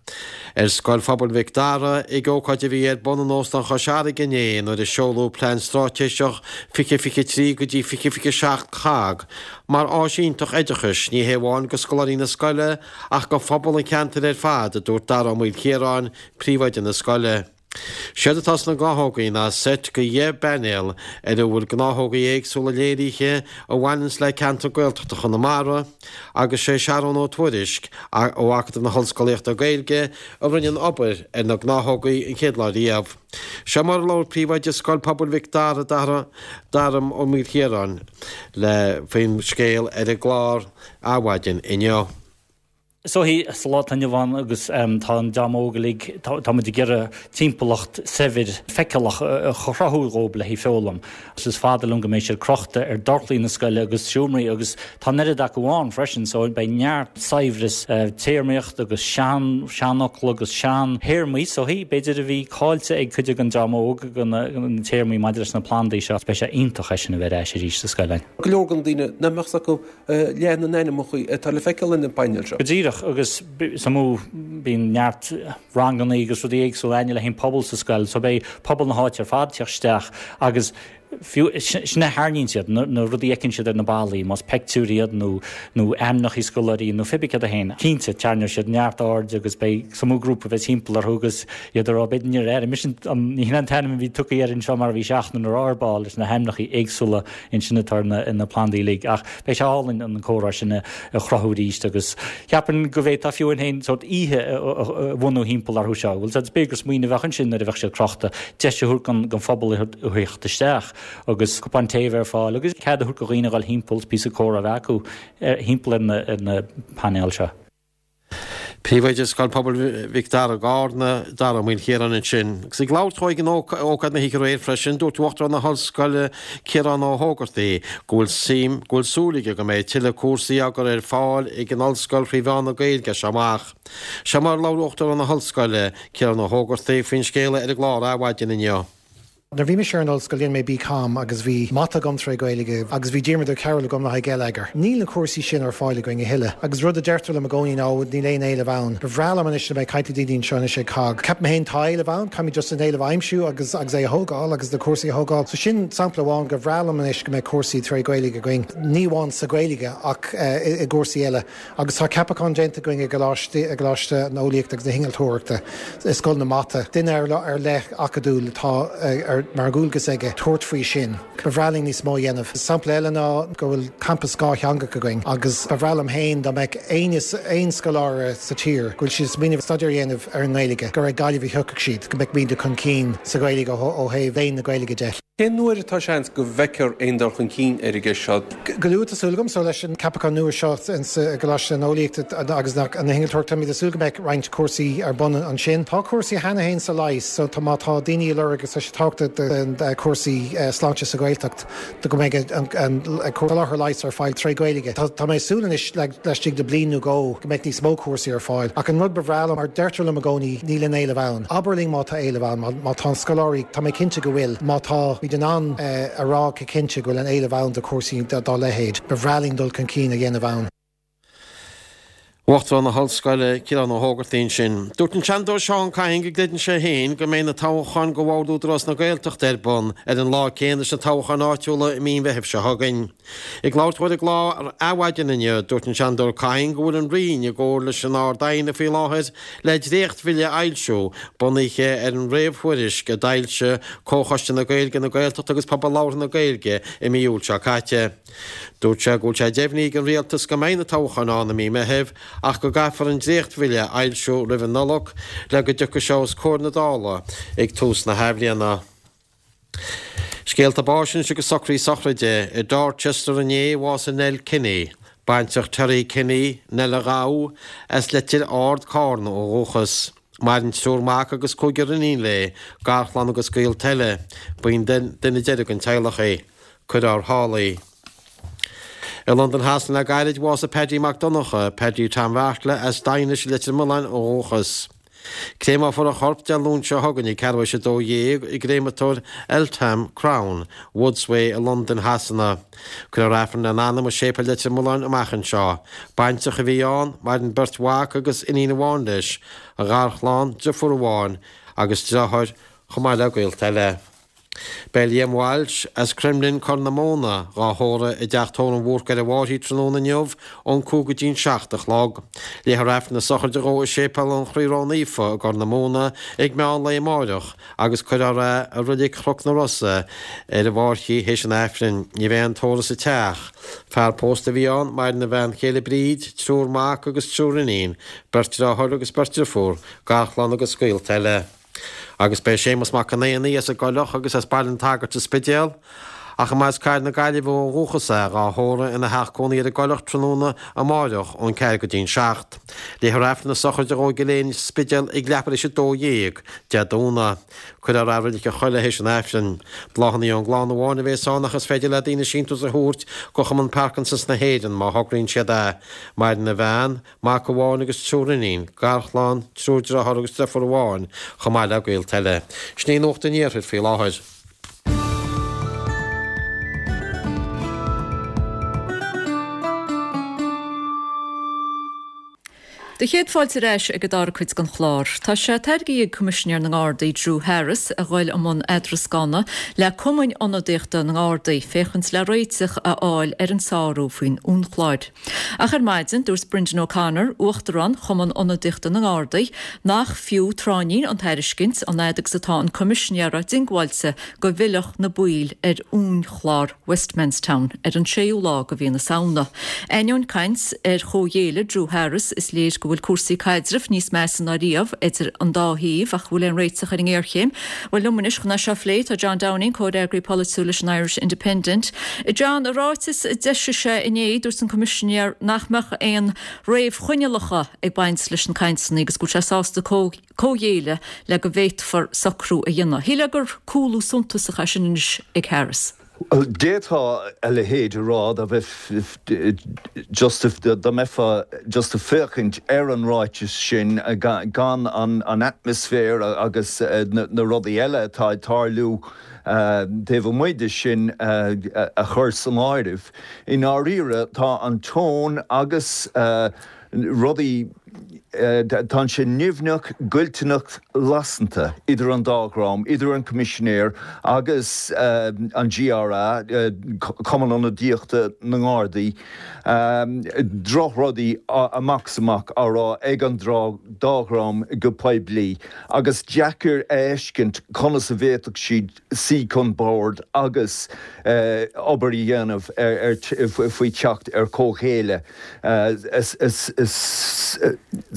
ar Scoil Phobail Mhic Dara ag ócáid a bhí ar bun in Óstán Chois Fharraige inné nuair a seoladh Plean Straitéiseach fiche fiche trí go dtí fiche fiche seacht COGG mar áis iontach oideachais ní hé amháin go scoláirí na scoile ach go phobal an cheantair ar fad, a dúirt Dara Ó Maoilchiaráin, príomhoide na scoile. Séard atá sna gnáthógaí ná seit de dheich bpainéal ar a bhfuil gnáthógaí éagsúla léirithe a bhaineanns le ceantar Gaeltachta Chonamara agus sé Searón Ó Tuairisg ó Acadamh na hOllscolaíochta Gaeilge a rinne an obair ar na gnáthógaí an chéad lá riamh. Seo mar a labhair príomhoide Scoil Pobail Mhic Dara Dara Dara Ó Maoilchiaráin le faoin scéal ar an gclár Adhmhaidin inniu. So sa lá atá inniu ann agus tá an dream óg uilig, tá muid ag iarraidh timpeallacht saibhir feiceálach a chruthú dhóibh le haghaidh foghlaim. Is fada liom go mbeidh siad crochta ar dorchlaí na scoile agus seomraí agus tá an oiread acu ann freisin so beidh neart saibhreas téarmaíocht agus sean seanfhocla agus sean théarmaí so b'fhéidir a bhí caillte ag cuid den dream óg na téarmaí maidir leis na plandaí seo. Beidh sé iontach é sin a bheith ar ais arís sa scoil. Go leor den daoine nach mbeadh acu leath na n-ainmneacha atá le feiceáil ar na painéil seo. Go díreach, agus is mó bíonn neart ranganna agus rudaí éagsúla againne le haghaidh an pobal sa scoil, so beidh pobal na háite ar fad ag teacht isteach agus fiú sin a tharraingíonn siad, na rudaí a fheiceann siad ar na ballaí, más peictiúir iad nó nó ainmneacha scoláirí nó pé cad é féin. Cinnte, tarraingeoidh siad neart aird agus beidh is mó grúpa a bheidh timpeall orthu agus iad ag rá b'fhéidir níor airigh mise an ní hin an t-ainm a bhí tugtha air anseo mar a bhí seachtain ar ár ball leis na hainmneacha éagsúla ansin atá ar na na plandaí uilig ach beidh sé álainn an comhrá sin a chruthú arís agus cheapfainn go bhféadfá fiú amháin sórt oíche a bhunú thimpeall orthu seo. Bhuel b'fhéidir gur smaoineamh a bheadh ansin nuair a bheadh siad crochta, deis a thabhairt don don phobal a theacht isteach agus cupán tae a bheith ar fáil agus cead a thabhairt do dhaoine a dhul thimpeall is píosa comhrá a bheith acu thimpeall ar na ar na painéil seo. Príomhoide Scoil Pobail Mhic Dara i gCarna, Dara Ó Maoilchiaráin ansin. Agus ag labhairt dó ag an ócáid na hoíche aréir freisin, dúirt Uachtarán na hOllscoile Ciarán Ó hÓgartaigh go bhfuil suim, go bhfuil súil aige go mbeidh tuilleadh cúrsaí á gcur ar fáil ag an Ollscoil thrí mheán na Gaeilge as seo amach. Seo mar a labhair Uachtarán na hOllscoile, Ciarán Ó hÓgartaigh, faoin scéal ar an gclár Adhmhaidin inniu. Nuair bhí mise ar an ollscoil dhein mé BCom agus bhí mata agam tré Gaeilge agus bhí Diarmuid Ó Cearúil agam le haghaidh geilleagar. Níl na cúrsaí sin ar fáil againn a thuilleadh agus rud a deirtear liom i gcónaí ná níl aon éileamh ann. Ba bhreá liom anois le bheith ag caint le daoine anseo anois ag COGG. Ceapaim féin tá éileamh ann, caithfimid just an éileamh a aimsiú agus agus é a thógáil agus na cúrsaí a thógáil. So sin sampla amháin gur bhreá liom anois go mbeidh cúrsaí tré Gaeilge againn. Ní amháin sa Ghaeilge ach eh, i gcúrsaí eile. Agus tá ceapachán déanta againn i gColáiste i gColáiste na hEolaíochta agus na hInnealtóireachta i Scoil na Mata. Duine ar ar leith acadúil atá eh, ar mar dhualgas aige tabhairt faoi sin. Ba bhreá linn níos mó a dhéanamh. Sampla eile ná go bhfuil campas dhátheangach againn agus ba bhreá liom féin dá mbeadh aon aon scoláire sa tír go bhfuil siad ag smaoineamh staidéar a dhéanamh ar an nGaeilge, gur ag Gaillimh a thiocfadh siad, go mbeadh muid chun cinn sa Ghaeilge ó thaobh léann na Gaeilge de. Cén uair atá seans go bhfeicfear aon dul chun cinn ar an gceist seo? Go luath tá súil agam so leis an ceapachán nua seo sa gColáiste na hEolaíochta agus na hInnealtóireachta táimid ag súil go mbeidh roinnt cúrsaí ar bun ansin. Tá cúrsaí cheana féin sa leigheas so tá má tá daoine ag lorg agus tá sé tábhachtach do cúrsaí sláinte sa Ghaeltacht do go mbeidh an soláthar leighis ar fáil tré Ghaeilge. Tá mé ag súil anois laistigh de bliain nó dhó go mbeidh níos mó cúrsaí ar fáil. Ach an rud ba bhreá liom mar deirtear liom i gcónaí níl aon éileamh ann. Abair linn má tá éileamh ann, má tá an scoláirí tá mé cinnte go bhfuil, má tá muid in ann a rá go cinnte go bhfuil an éileamh ann do chúrsaí dá leithéid, ba bhreá linn dul chun cinn a dhéanamh ann. Uachtarán na hOllscoile, Ciarán Ó hÓgartaigh ansin. Dúirt an Seanadóir Seán Kyne go gcreideann sé féin go mbeidh na toghcháin do Bhord Údarás na Gaeltachta ar bun ar an lá céanna leis na toghcháin áitiúla i mí an Mheithimh seo chugainn. Ag labhairt dó ar an gclár Adhmhaidin inniu, dúirt an Seanadóir Kyne go bhfuil an Roinn i gcomhar leis an Ard-Aighne faoi láthair le dréachtbhille a fhoilsiú, bunaithe ar an réamhthuairisc a d'fhoilsigh Comhchoiste na Gaeilge, na Gaeltachta agus Pobal Labhartha na Gaeilge i mí Iúil seo caite. Dúirt sé go bhfuil sé deimhnithe ag an Rialtas go mbeidh na toghcháin ann i mí Meithimh ach go gcaithfear an dréachtbhille a fhoilsiú roimh an Nollaig le go dtiocfaidh sé os comhair na Dála ag tús na hathbhliana. Scéalta báis anois agus socruithe sochraide. I Dorchester inné, bhásaigh Nell Kinney, baintreach Terry Kinney, Nell a' Ghabha, as Leitir Ard, Carna ó dhúchas. Maireann triúr mac agus cúigear iníon léi, garchlann agus gaolta eile. Ba í an duine deiridh den teaghlach í. Cuirfear thall í. I Londain Shasana le gairid, bhásaigh Paddy Mac Donncha, Paddy Tom Bheartla, as Daighinis i Leitir Mealláin ó dhúchas. Créamófar a chorp Dé Luain seo chugainn ag ceathrú théis a dó dhéag i gcréamatóir Eltham Crown, Woodsway i Londain Shasana. Cuirfear Aifreann lena anam i Séipéal Leitir Mealláin amach anseo. Baintreach a bhí ann, maireann beirt mhac agus iníon amháin leis, a gharchlann, deirfiúr amháin agus deartháir chomh maith le gaolta eile. Beidh Liam Walsh as Crumlin, Corr na Móna, dhá thórramh i dTeach Tórraimh Bhúrc ar an bhFairche tráthnóna inniu ón cúig go dtí an seacht a chlog. Léifear Aifreann na sochraide dhó i Séipéal an Chroí Ró-Naofa i gCorr na Móna ag meán lae amáireach agus cuirfear é i Reilig Chnoc na Rosa ar an bhFairche théis an Aifrinn. Ní bheidh aon tórramh sa teach. Fear pósta a bhí ann, maireann a bhean chéile Bríd, triúr mac agus triúr iníon, beirt deartháir agus beirt driofúr, garchlann agus gaolta eile. Agus beidh Séamus Mac an Éanaigh as an gCoileach agus as Baile an tSagairt sa Spidéal, ach a mba as Cathair na Gaillimhe ó dhúchas é, dhá thórramh ina theach cónaí ar an gCoileach tráthnóna amáireach ón ceathair go dtí an seacht. Léifear Aifreann na sochraide dhó i gCill Éinne sa Spidéal ag leathuair théis a dó dhéag Dé Domhnaigh. Cuirfear é i Reilig an Choilligh théis an Aifrinn. Bláthanna ón gclann amháin a bhéas ann ach is féidir le daoine síntiús a thabhairt go Chumann Parkinsons na hÉireann má thograíonn siad é. Maireann a bhean, Mac amháin agus triúr iníon, garchlann, triúr deartháir agus deirfiúr amháin, chomh maith le gaolta eile. Sin í Nuacht an Iarthair faoi láthair. Do chéad fáilte ar ais ag an dara cuid den chlár. Tá sé tairgthe ag Coimisinéir na nGardaí Drew Harris a ghoil i mbun eadrascána le cumainn ionadaíochta na nGardaí féachaint le réiteach a fháil ar an sárú faoin uainchlár. Ach ar maidin, dúirt Brendan O'Connor, Uachtarán Chumann Ionadaíochta na nGardaí, nach fiú tráithnín an tairiscint an fhad agus atá an Coimisinéara diongbháilte go bhfillfeadh na baill ar uainchlár Westmanstown ar an séú lá de mhí na Samhna. Ainneoin caint ar chomhghéilleadh Drew Harris, is léir go bhfuil cúrsaí caidrimh níos measa ná riamh idir an dá thaobh ach bhfuil aon réiteach ar an ngéarchéim? Bhuel, liom anois chun é seo a phlé tá John Downing, comhfhreagraí polaitiúil leis an Irish Independent. John, i ráiteas a d'eisigh sé inné, dúirt an Coimisinéir nach mbeadh aon réamhchoinníollacha ag baint leis na cainteanna agus go bhfuil sé sásta comhghéilleadh le go bhféadfar socrú a dhéanamh. Shílfeá gur cúlú suntasach é sin anois ag Harris. D'fhéadfá a leithéid a rá dá bheith just dá mbeifeá just ag féachaint ar an ráiteas sin gan an atmaisféar agus na rudaí eile atá ag tarlú taobh amuigh de sin a chur san áireamh. I ndáiríre tá an tón agus rudaí Tá sé nimhneach, goilliúnach, lasanta idir an dá dhream, idir an Coimisinéir agus an GRA, Cumann Ionadaíochta na nGardaí. Drochrudaí amach is amach á rá ag an dá dhream go poiblí agus deacair a fheiscint conas a bhféadfadh siad suí chun boird agus obair a dhéanamh faoi theacht ar chomhghéilleadh.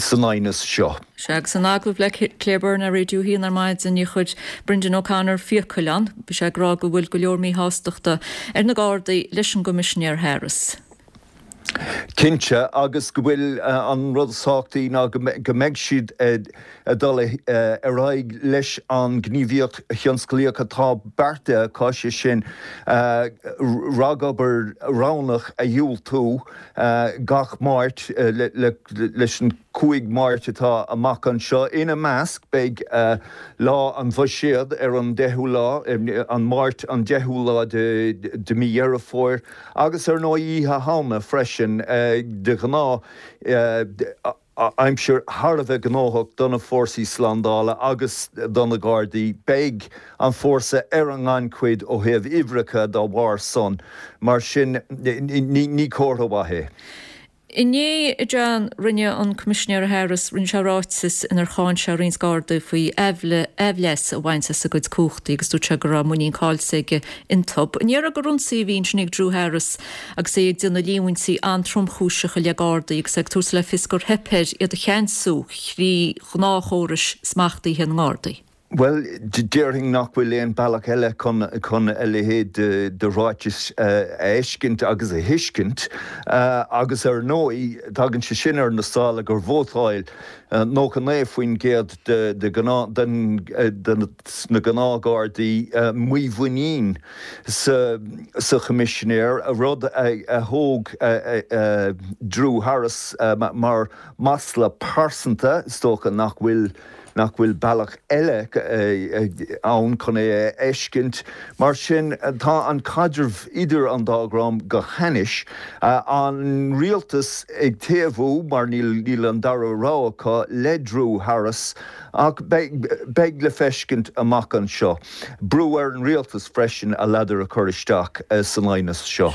san aighneas seo. Sea, agus in agallamh le Claire Byrne ar Raidió a hAon ar maidin, níor chuir Brendan O'Connor fiacail ann. Bhí sé ag rá go bhfuil go leor míshástachta ar na Gardaí leis an gCoimisinéir Harris. Cinnte, agus go bhfuil an rud is tábhachtaí ná go mbeidh siad ag dul ar aghaidh leis an ngníomhaíocht thionsclaíoch atá beartaithe acu, sé sin ragobair roghnach a dhiúltú gach Máirt leis an cúig Máirt atá amach anseo. Ina measc beidh Lá an Bhuiséid ar an deichiú lá, an Máirt an deichiú lá de mí Dheireadh Fómhair, agus ar ndóigh Oíche Shamhna freisin. De ghnáth, aimsir thar a bheith gnóthach do na fórsaí slándála agus do na Gardaí. Beidh an fórsa ar an ngannchuid ó thaobh uimhreacha dá bharr san. Mar sin, ní comhartha mhaith é. Inné, a John, rinne an Coimisinéir Harris, rinne sé ráiteas inar cháin sé roinnt Gardaí faoi aimhleas a bhaint as a gcuid cumhachtaí agus dúirt sé go raibh muinín caillte aige iontu. An ndéarfá gur ionsaí a bhí ansin ag Drew Harris agus é ag déanamh líomhaintí an-tromchúiseacha i leith Gardaí agus é ag tabhairt le fios gur theip air iad a cheansú thrí ghnáthchórais smachtaithe na nGardaí? Bhuel, déarfainn nach bhfuil aon bealach eile chun chun a leithéid de ráiteas a fheiscint agus a thuiscint. Agus ar ndóigh, tagann sé sin ar na sála gur vótáil nócha naoi faoin gcéad de de na gnáthghardaí mímhuinín sa sa Choimisinéir, rud a thóg Drew Harris mar mhasla pearsanta. Is dócha nach bhfuil nach bhfuil bealach eile ann chun é a fheiscint. Mar sin, tá an caidreamh idir an dá dhream go hainnis. An rialtas ag taobhú, mar níl an dara rogha acu, le Drew Harris, ach beidh le feiscint amach anseo. Brú ar an rialtas freisin a ladar a chur isteach san aighneas seo.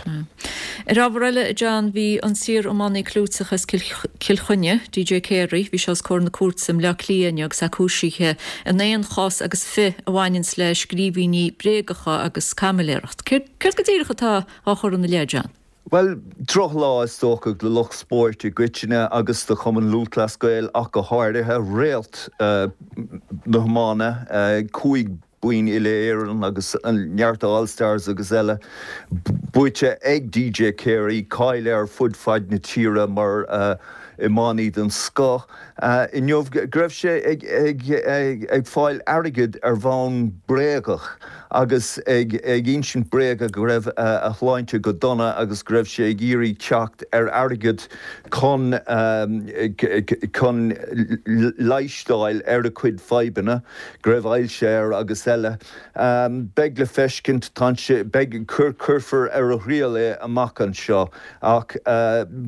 Ar ábhar eile, a John, bhí an t-iar-iománaí clúiteach as Cill Chainnigh, DJ Carey, bhí sé os comhair na cúirte i mBleá Cliath inniu agus é cúisithe in aon chás agus fiche a bhaineanns le scríbhinní bréagacha agus caimiléireacht. Céard go díreach atá á chur ina leith, John? Bhuel, drochlá is dócha do lucht spóirt i gcoitinne agus do Chumann Lúthchleas Gael ach go háirithe, réalt na hiomána, cúig boinn uile-Éireann agus neart All Stars agus eile buaite ag DJ Carey, cáil air fud fad na tíre mar iománaí den scoth. Inniu go raibh sé ag fáil airgid ar bhonn bréagach agus ag insint bréaga go raibh a shláinte go dona agus go raibh sé ag iarraidh teacht ar airgead chun chun leigheas d'fháil ar a chuid fadhbanna, go raibh ailse air agus eile. Beidh le feiscint, tá sé, beidh, cuirfear ar a thriail é amach anseo ach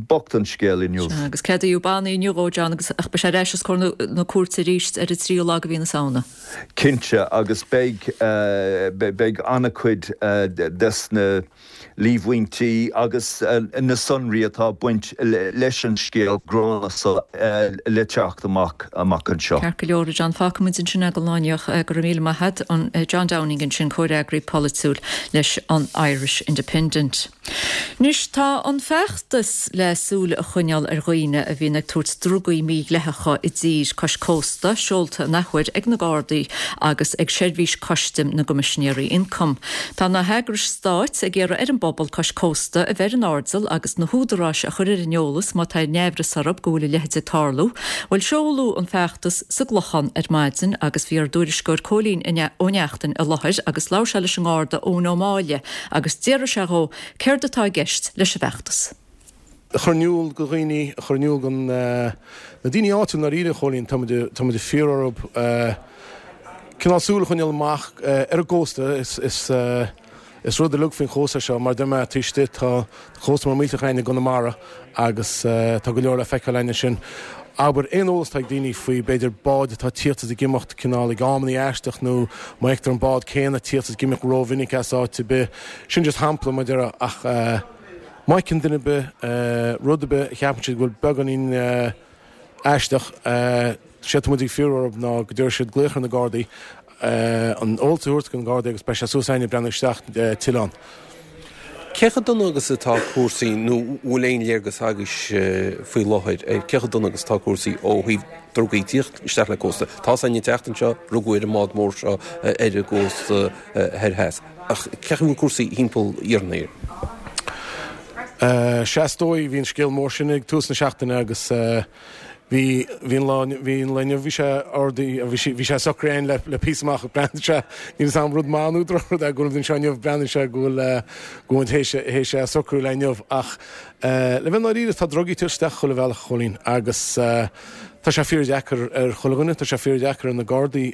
bocht an scéal inniu. Sea, agus ceadaíodh bannaí inniu dhó, John, agus ach beidh sé ar ais os comhair na cúirte arís ar an tríú lá de mhí na Samhna. Cinnte, agus beidh, beidh an-chuid des na líomhaintí agus na sonraí atá ag baint leis an scéal gránna seo le teacht amach amach anseo. Ceart go leor, a John. Fágfaimid ansin é don lá inniu. Go raibh míle maith agat. John Downing ansin, comhfhreagraí polaitiúil leis an Irish Independent. Anois tá an feachtas le súil a choinneáil ar dhaoine a bhíonn ag tabhairt drugaí mídhleathacha i dtír cois cósta seolta an athuair ag na Gardaí agus ag Seirbhís Custaim na gCoimisinéirí Ioncaim. Tá na heagrais stáit ag iarraidh ar an bpobal cois cósta a bheith ar an airdeall agus na húdaráis a chur ar an eolas má tá aon amhras orthu go bhfuil a leithéid ag tarlú. Bhuel seoladh an feachtas sa gClochán ar maidin agus bhí ár dtuairisceoir Cóilín Ó Neachtain i láthair agus labhair sé leis an nGarda Eoin Ó Máille agus d'fhiafraigh sé dhó céard atá i gceist leis an bhfeachtas. A chur in iúl do dhaoine, a chur in iúl do na daoine áitiúil i ndáiríre, a Chóilín, tá muid, tá muid ag fiafraí orthu cineál súil a choinneáil amach ar an gcósta. Is, is, is rud uilig faoin chósta seo, mar deir mé, taobh istigh tá cósta mór millteach againn i gConamara agus tá go leor le feiceáil againn ansin. Abair, aon eolas atá ag daoine faoi, b'fhéidir, báid atá ag tíocht is ag imeacht cineál ag amannaí aisteach nó má fheictear an bád céanna ag tíocht is ag imeacht rómhinic as áit ar bith, sin just shampla, mar deir, ach má fheiceann duine ar bith rud ar bith a cheapann siad go bhfuil beagáinín aisteach, séard atá muid ag fiafraí orthu ná go dtabharfaidh siad glaoch ar na Gardaí, an eolas a thabhairt do na Gardaí agus beidh sé suas againn ag breathnú isteach tuilleadh ann. Cé chomh dona agus atá cúrsaí nó bhfuil aon léargas agaibhse faoi láthair ar cé chomh dona agus atá cúrsaí ó thaobh drugaí ag tíocht isteach le cósta? Tá a fhios againn an tseachtain seo, rugadh ar an mbád mór seo ar an gcósta thoir theas. Ach cén chaoi a bhfuil cúrsaí thimpeall iarthar na hÉireann? Sea, is dóigh, bhí an scéal mór sin ag tús na seachtaine agus bhí, bhí an lá, bhí an lá inniu, bhí sé ardaithe, bhí sé, bhí sé socraithe againn le, le píosa amach, breathnaíonn sé, níl fhios a'm rud maith nó drochrud é go bhfuil muid anseo inniu, breathnaíonn sé go bhfuil, go bhfuil muid théis, théis é a socrú le inniu ach le bheith ndáiríre tá drugaí ag tíocht isteach chuile bhealach, a Chóilín, agus tá sé fíordheacair ar chuile dhuine, tá sé fíordheacair ar na Gardaí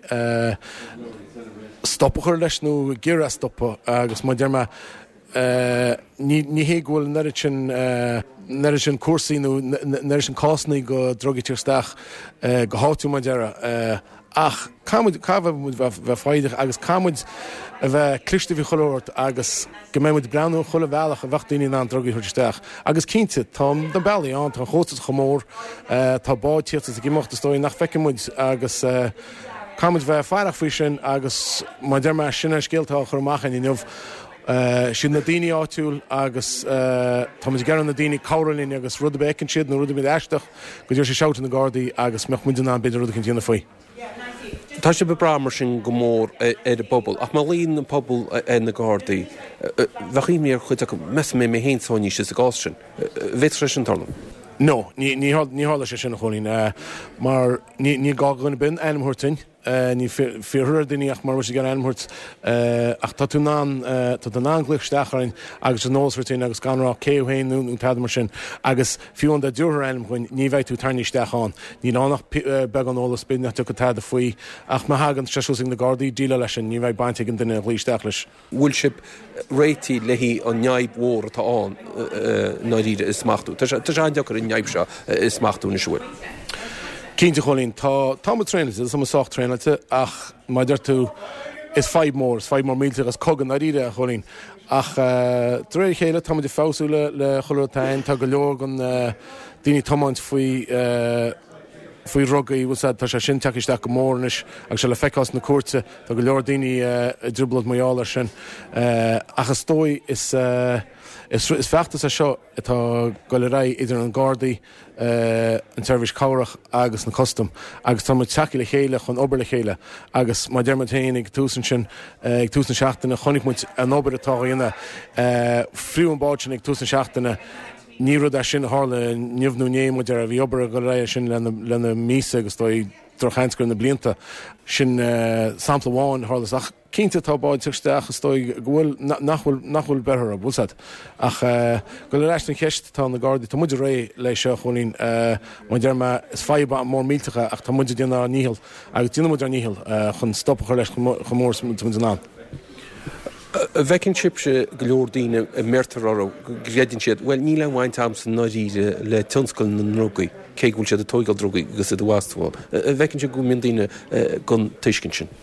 stop a chur leis nó ag iarraidh stopadh agus mar a deir mé, ní hé go bhfuil an oiread sin, an oiread sin cúrsaí nó an oiread sin cásanna de drugaí ag tíocht isteach go háitiúil mar a déarfá ach caithfidh muid, caithfidh muid bheith foighdeach agus caithfidh muid a bheith cliste faoi chuile shórt agus go mbeidh muid ag breathnú ar chuile bhealach a bheadh daoine in ann drugaí a thabhairt isteach agus cinnte tá na bealaí ann, tá an chósta chomh mór, tá báid ag tíocht is ag imeacht is dóigh nach bhfeiceann muid agus caithfidh muid bheith faireach faoi sin agus mar a deir mé sin an scéal atá á chur amach againn inniu. Siad na daoine áitiúil agus tá muid ag iarraidh na daoine cabhrú linn agus rud ar bith a fheiceann siad nó rud ar bith aisteach go dtabharfaidh siad shout do na Gardaí agus mbeadh muid in ann b'fhéidir rud eicínt a dhéanamh faoi. Tá sibh ag brath mar sin go mór ar an bpobal ach má ghlaonn an pobal ar na Gardaí, bheadh imní ar chuid acu, meas mé mé féin sáinnithe sa gcás sin. Bhféadfadh sé sin tarlú? No, ní tharlódh sé sin a Chóilín mar ní gá do dhuine ar bith ainm a thabhairt duinn. Ní fiafraítear ar daoine ach mura bhfuil siad ag iarraidh ainm a thabhairt ach tá tú in ann, tá tú in ann glaoch isteach orainn agus an eolas a thabhairt dúinn agus gan rá cé thú féin nó tada mar sin agus fiú amháin dá dtabharfá ainm dhúinn ní bheidh tú tarraingthe isteach ann. Níl ann ach beagán eolas, b'fhéidir nach dtiocfaidh tada faoi ach má thagann sé suas ag na Gardaí déileáil leis sin, ní bheidh baint ag an duine a ghlaoigh isteach leis. bhfuil sibh réitithe le haghaidh an fhadhb mhór atá ann i ndáiríre a smachtú. Tá sé an-deacair an fhadhb seo a smachtú anois, an bhfuil? Cinnte, a Chóilín, tá, tá muid traenáilte, tá muid sách traenáilte ach mar a deir tú, is fadhb mhór, is fadhb mhór millteach, is cogadh i ndáiríre, a Chóilín. Ach de réir a chéile, tá muid ag feabhsú le, le chuile rud atá ann, tá go leor den daoine ag tiomáint faoi, faoi dhrugaí, bhfuil 's a'd, tá sé sin tagtha isteach go mór anois agus sé le feiceáil sna cúirte, tá go leor daoine i dtrioblóid mar gheall air sin. Ach is dóigh, is, is feachtas é seo atá ag goil ar aghaidh idir an Gardaí, an tSeirbhís Cabhrach agus na Custaim agus tá muid tagtha le chéile chun obair le chéile agus mar a deir muid féin ag tús ansin, ag tús na seachtaine, chonaic muid an obair atá á dhéanamh, fiú an bád sin ag tús na seachtaine, Ní rud é sin a tharla inniu nó inné, mar a déarfá, bhí obair ag dul ar aghaidh air sin le na míosa agus is dóigh, drochsheans gur na blianta. Sin sampla amháin a tharla. Ach cinnte tá báid ag teacht isteach is dóigh go bhfuil, nach bhfuil, nach bhfuil beirthe orthu, bhfuil 's a'd. Ach dul ar ais don cheist, tá na Gardaí, tá muid réidh le seo, a Chóilín. Mar a deir mé, is fadhb mór millteach é ach tá muid ag déanamh ár ndícheall agus déanfaidh muid ár ndícheall chun stop a chur leis chomh mór is atá muid in ann. An bhfeiceann sibhse go leor daoine a mbeirtear orthu go gcreideann siad, bhuel, níl aon bhaint agamsa i ndáiríre le tionscal na ndrugaí, cé go bhfuil siad ag tóigeáil drugaí agus iad ag astú ann. An bhfeiceann sibh go mbíonn daoine den tuiscint sin?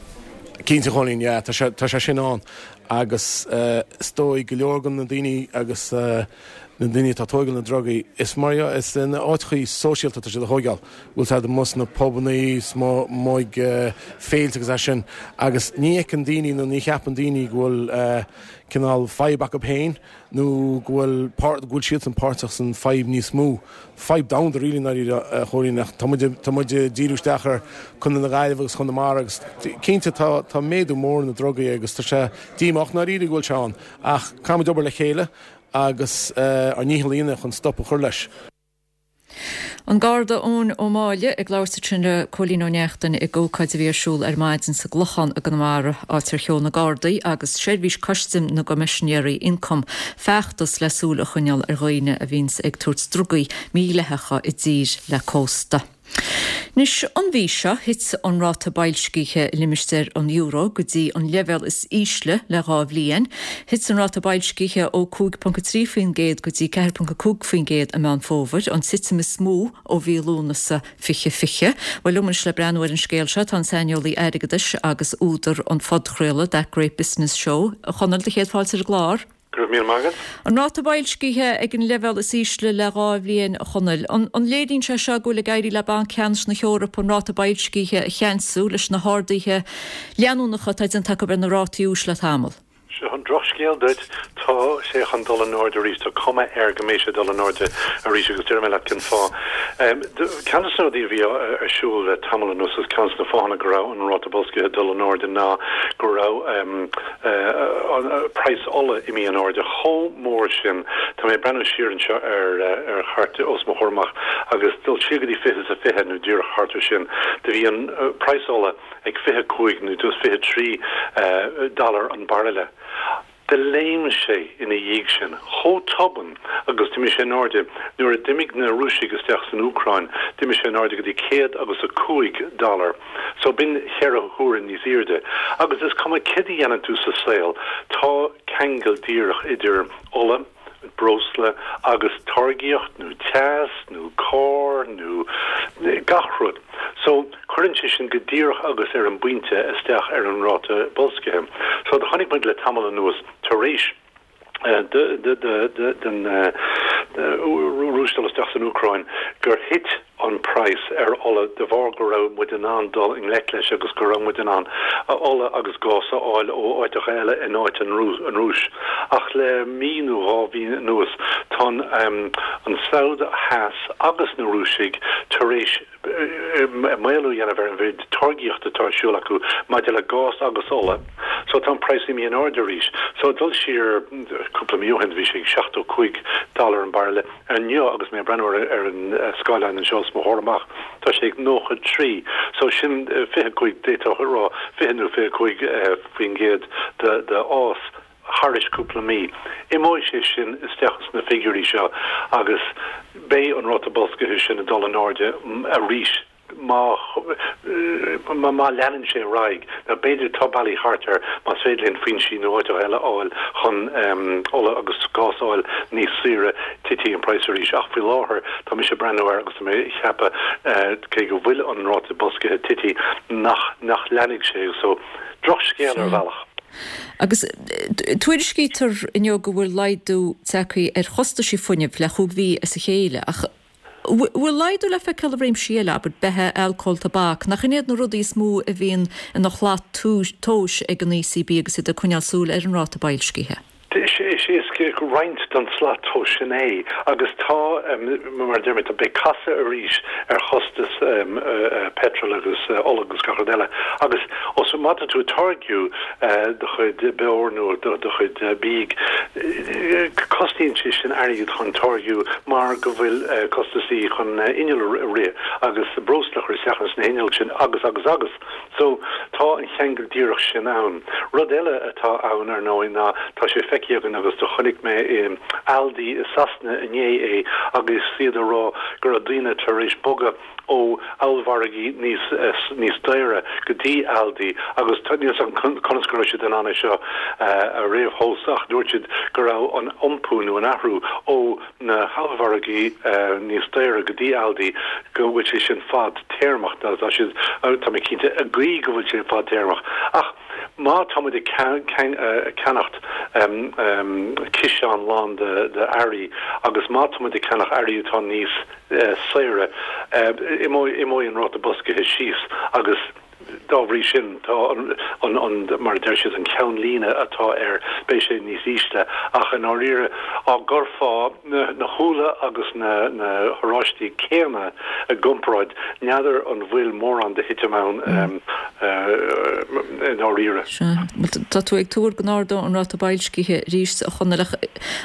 Cinnte, a Chóilín, yeah, tá sé, tá sé sin ann agus is dóigh go leor de na daoine agus na daoine atá ag tógáil na drugaí, is mar is in áiteachaí sóisialta atá siad a thógáil, bhfuil siad amuigh sna pubannaí, amuigh ag féilte agus é sin, agus ní fheiceann daoine nó ní cheapann daoine go bhfuil cineál fadhb acu féin nó go bhfuil go bhfuil siadsan páirteach san fadhb níos mó. Fadhb domhanda really ndáiríre a Chóilín ach tá muid tá muid ag díriú isteach ar Chontae na Gaillimhe agus Chonamara agus cinnte tá tá méadú mór na drugaí agus tá sé díomách ndáiríre go bhfuil sé ann ach caithfimid obair le chéile agus ár ndícheall a dhéanamh chun stop a chur leis. An Garda Eoin Ó Máille ag labhairt ansin le Cóilín Ó Neachtain ag ócáid a bhí ar siúl ar maidin sa gClochán i gConamara, áit ar sheol na Gardaí agus Seirbhís Custaim na gCoimisinéirí Ioncaim feachtas le súil a choinneáil ar dhaoine a bhíonns ag tabhairt drugaí mídhleathacha i dtír le cósta. Anois, an mhí seo, thit an ráta boilscithe i limistéar an euro go dtí an leibhéal is ísle le dhá bhliain. Thit an ráta boilscithe ó cúig ponc a trí faoin gcéad go dtí ceathair ponc a cúig faoin gcéad i Meán Fómhair, an titim is mó ó mhí Lúnasa fiche fiche. Bhuel, liom anois le breathnú ar an scéal seo tá an saineolaí airgeadais agus údar an phodchraoladh That Great Business Show, a Chonaill, do chéad fáilte ar an gclár. Go raibh míle maith agat. An ráta boilscithe ag an leibhéal is ísle le dhá bhliain, a Chonaill. An léiríonn sé seo go bhfuil ag éirí le Banc Ceannais na hEorpa an ráta boilscithe a cheansú leis na harduithe leanúnacha atá déanta acu ar na rátaí úis le tamall? Seo an drochscéal duit, tá sé chun dul in airde arís, tá cuma air go mbeidh sé ag dul in airde arís agus déarfaidh mé leat cén fáth. Ceann de na rudaí a bhí ar siúl le tamall anuas agus ceann de na fáthanna go raibh an ráta boilscithe ag dul in airde ná go raibh praghas ola imithe in airde chomh mór sin. Tá mé ag breathnú siar anseo ar ar chairt os mo chomhair amach agus dul siar go dtí fiche is a fiche nó díreach thart ar sin, do bhí an praghas ola ag fiche cúig nó just fiche trí dollar an bairille. Do léim sé ina dhiaidh sin chomh tobann agus d'imigh sé in airde. Nuair a d'imigh na Rúisigh isteach san Úcráin, d'imigh sé in airde go dtí céad agus a cúig dollar. So b'in cheithre huaire níos airde. Agus is cuma céard a dhéanann tú sa saol, tá ceangal díreach idir ola, breosla agus táirgíocht nó teas nó carr nó gach rud. So cuireann sé sin go díreach agus ar an bpointe isteach ar an ráta boilscithe. So do chonaic muid le tamall anuas tar éis den Rúis dul isteach san Úcráin gur thit an praghas ar ola de bharr go raibh muid in ann dul i ngleic leis agus go raibh muid in ann ola agus gás a fháil ó áiteacha eile in áit an Rúis. Ach le mí nó dhá mhí anuas tá an Sabhad Theas agus na Rúisigh tar éis maolú a dhéanamh ar an mhéid táirgíochta atá ar siúl acu maidir le gás agus ola. So tá an praghas imithe in airde arís. So dul siar cúpla mí ó shin bhí sé ag seachtó cúig dollar an bairille. Inniu agus mé ag breathnú ar an scáileán anseo os mo chomhair amach tá sé ag nócha trí. So sin fiche cúig, d'fhéadfá a rá fiche nó fiche cúig faoin gcéad de fhás. thairis cúpla mí. Imeoidh sé sin isteach sna figiúirí seo agus beidh an ráta boilscithe sin ag dul in airde arís má má leanann sé ar aghaidh. Now b'fhéidir tá bealaí thart air más féidir linn foinsí nó áiteacha eile a fháil chun ola agus gás a fháil níos saoire, titfidh an praghas arís. Ach faoi láthair tá mise ag breathnú air agus tá mé ag ceapadh cé go bhfuil an ráta boilscithe tite nach nach leanfaidh sé. So drochscéal ar bhealach. Agus tuairiscítear inniu go bhfuil laghdú tagtha ar chostaisí fuinnimh le chúig mhí as a chéile, ach bhfuil laghdú le feiceáil i réimsí eile, abair, beatha, alcól, tobac, nach in iad na rudaí is mó a bhíonn ina shlat tomhais ag an ECB agus iad ag coinneáil súil ar an ráta boilscithe? Is roinnt den slat tomhais sin é agus tá, mar a deir mé, tá, beidh casadh arís ar chostas peitril agus ola agus gach rud eile agus os má tá tú ag táirgiú do chuid beoir nó do chuid bídh, cosnaíonn sé sin airgead chun táirgiú mar go bhfuil costasaí chun inneall a rith agus breosla a chur isteach ins na hinnill sin agus agus agus. So, tá an cheangal díreach sin ann. Rud eile atá ann, ar ndóigh, ná tá sé feicthe againn agus do chonaic mé i Aldi i Sasana inné é agus iad ag rá go raibh daoine tar éis bogadh ó ollmhargaí níos níos daoire go dtí Aldi agus níl 's agam conas go raibh siad in ann é seo a réamhthomhas ach dúirt siad go raibh an iompú nó an athrú ó na hollmhargaí níos daoire go dtí Aldi go bhfuil sé sin fad téarmach. Tá siad, tá mé cinnte, ag guí go bhfuil sé fad téarmach. Ach Má tá muid ag ceannacht ciseán lán de earraí agus má tá muid ag ceannach earraí atá níos saoire, imeoidh an ráta boilscithe síos agus dá bhrí sin tá an, mar a deir siad, an ceannlíne atá air, beidh sé níos ísle. Ach i ndáiríre, á gcuirfeá na húlla agus na horáistí céanna i gcomparáid, n'fheadar an bhfuil mórán de thitim ann i ndáiríre. Sea. Bhuel, tá tú ag tuar go n-ardóidh an ráta boilscithe arís, a Chonaill, ach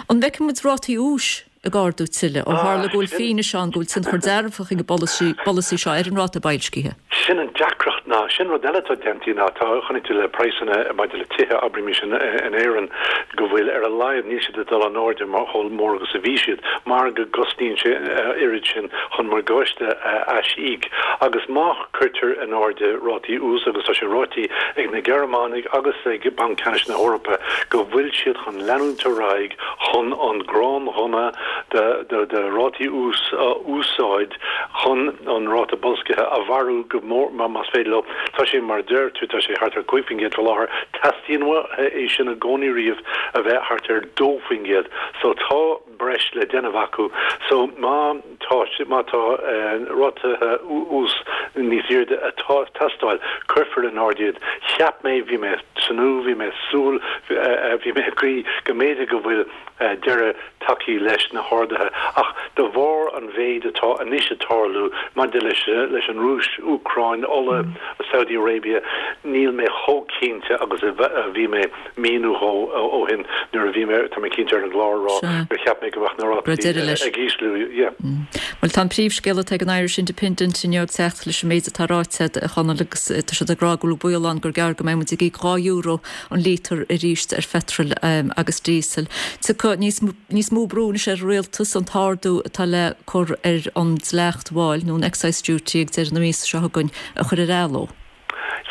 an bhfeicfidh muid rátaí úis ag ardú tuilleadh, ó tharla go bhfuil fianaise ann go bhfuil tionchar dearfach ag an bpolasaí seo ar an ráta boilscithe. Sin an deacracht ná, sin rud eile atá déanta ná, tá, chonaic tú le praghsanna maidir le tithe, abraimis in Éirinn, go bhfuil ar a laghad níl siad ag dul in airde mar chomh mór agus a bhí siad, mar go gcosnaíonn sé oiread sin chun morgáiste a aisíoc. Agus má chuirtear in airde rátaí ús, agus tá sé ráite ag na Gearmánaigh agus ag Banc Ceannais na hEorpa go bhfuil siad chun leanúint ar aghaidh chun an gránghunna de rátaí ús a úsáid chun an ráta boilscithe a mharú go mór más féidir leo. Tá sé mar a deir tú, tá sé thart ar cúig faoin gcéad faoi láthair. Teastaíonn uathu é sin i gcónaí riamh a bheith thart ar dó faoin gcéad. So tá breis le déanamh acu. So má tá má tá rátaithe ús níos airde ag teastáil, cuirfear in airde iad. Cheap mé, bhí mé ag tnúth, bhí mé ag súil, bhí mé ag guí go mb'fhéidir go bhfuil deireadh tagtha leis na harduithe, ach de bharr an mhéid atá anois ag tarlú maidir leis leis an Rúis, Úcráin, ola, Saudi Arabia, níl mé chomh cinnte agus a bhí mé mí nó dhó ó shin nuair a bhí mé, tá mé cinnte, ar an gclár ag rá gur cheap mé go mbeadh na rátaí ag ísliú. Yeah. Bhuel, tá an príomhscéal atá ag an Irish Independent inniu ag teacht leis an méid atá ráite agat, a Chonaill, agus tá siad ag rá go bhfuil baol ann gur gearr go mbeidh muid ag íoc dhá euro an lítear arís ar pheitreal agus díosal. Tiocfaidh níos níos mó brú anois ar an rialtas an t-ardú atá le cur ar an dleacht mháil nó an excise duty ag deireadh na míosa seo chugainn a chur ar athló.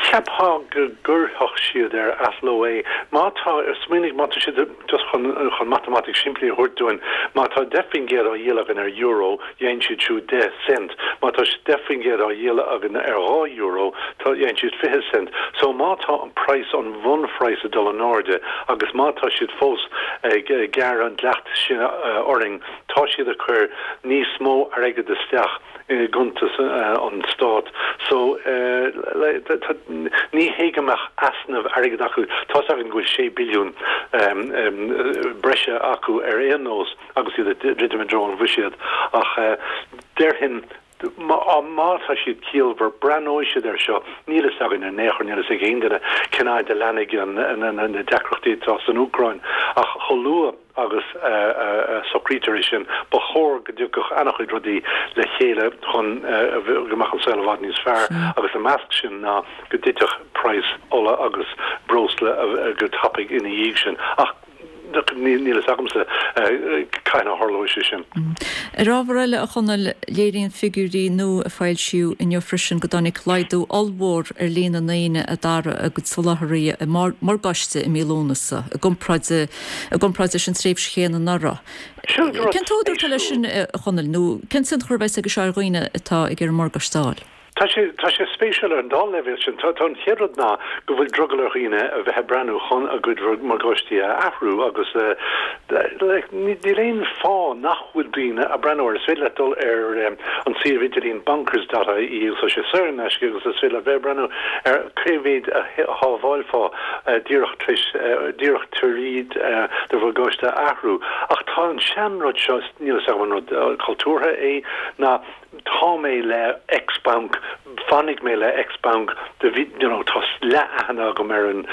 Cheapfá go gcuirfeadh siad ar athló é. Má tá, smaoinigh, má tá siad, just chun chun matamaitic simplí a thabhairt dúinn, má tá deich faoin gcéad á dhíol againn ar euro, dhéan siad siúd deich cent. Má tá deich faoin gcéad á dhíol againn ar dhá euro, tá, dhéan siad fiche cent. So má tá an praghas, an bhunphraghas ag dul in airde agus má tá siad fós ag gearradh an dleacht sin orainn, tá siad ag cur níos mó airgid isteach i gcuntas an Stáit. So ní hé go mbeadh easnamh airgid acu, tá's againn go bhfuil sé billiún breise acu ar aon nós agus iad ag druidim i dtreo an bhuiséad ach déarfainn má tá siad ciallmhar, breathnóidh siad air seo. Níl fhios againn in aon chor, níl fhios ag aon duine cén fhaid a leanfaidh na deacrachtaí atá san Úcráin ach chomh luath agus a socraítear é sin, ba chóir go dtiocfadh an-chuid rudaí le chéile chun go mbeadh an saol i bhfad níos fearr agus i measc sin ná go dtitfeadh praghas ola agus breosla go tapaidh ina dhiaidh sin. Ach níl fhios agamsa cathain a tharlóidh sé sin. Ar ábhar eile, a Chonaill, léiríonn figiúirí nua a foilsíodh inniu freisin go dtáinig laghdú ollmhór ar líon na ndaoine a d'athraigh a gcuid soláthraithe morgáiste i mí Lúnasa i gcomparáid i gcomparáid leis an tréimhse chéanna anuraidh. Cén t-údar atá leis sin, a Chonaill, nó cén tionchar a bheas aige seo ar dhaoine atá ag iarraidh morgáiste a fháil? Tá sé, tá sé spéisiúil ar an dá leibhéal sin. Tá, tá an chéad rud ná go bhfuil drogall ar dhaoine a bheith ag breathnú chun a gcuid morgáistí a athrú agus like níl aon fáth nach bhfuil daoine ag breathnú air. Is féidir leat dul ar an suíomh idirlín bonkers dot ie agus tá sé saor in aisce agus is féidir leat bheith ag breathnú ar cé mhéad a shábhálfá díreach tar éis, díreach tríd do mhorgáiste a athrú. Ach tá an seanrud seo, níl fhios agam an rud cultúrtha é, ná tá mé le X banc, fanfaidh mé le X banc, do bhí, you know, tá leath-aithne agam ar an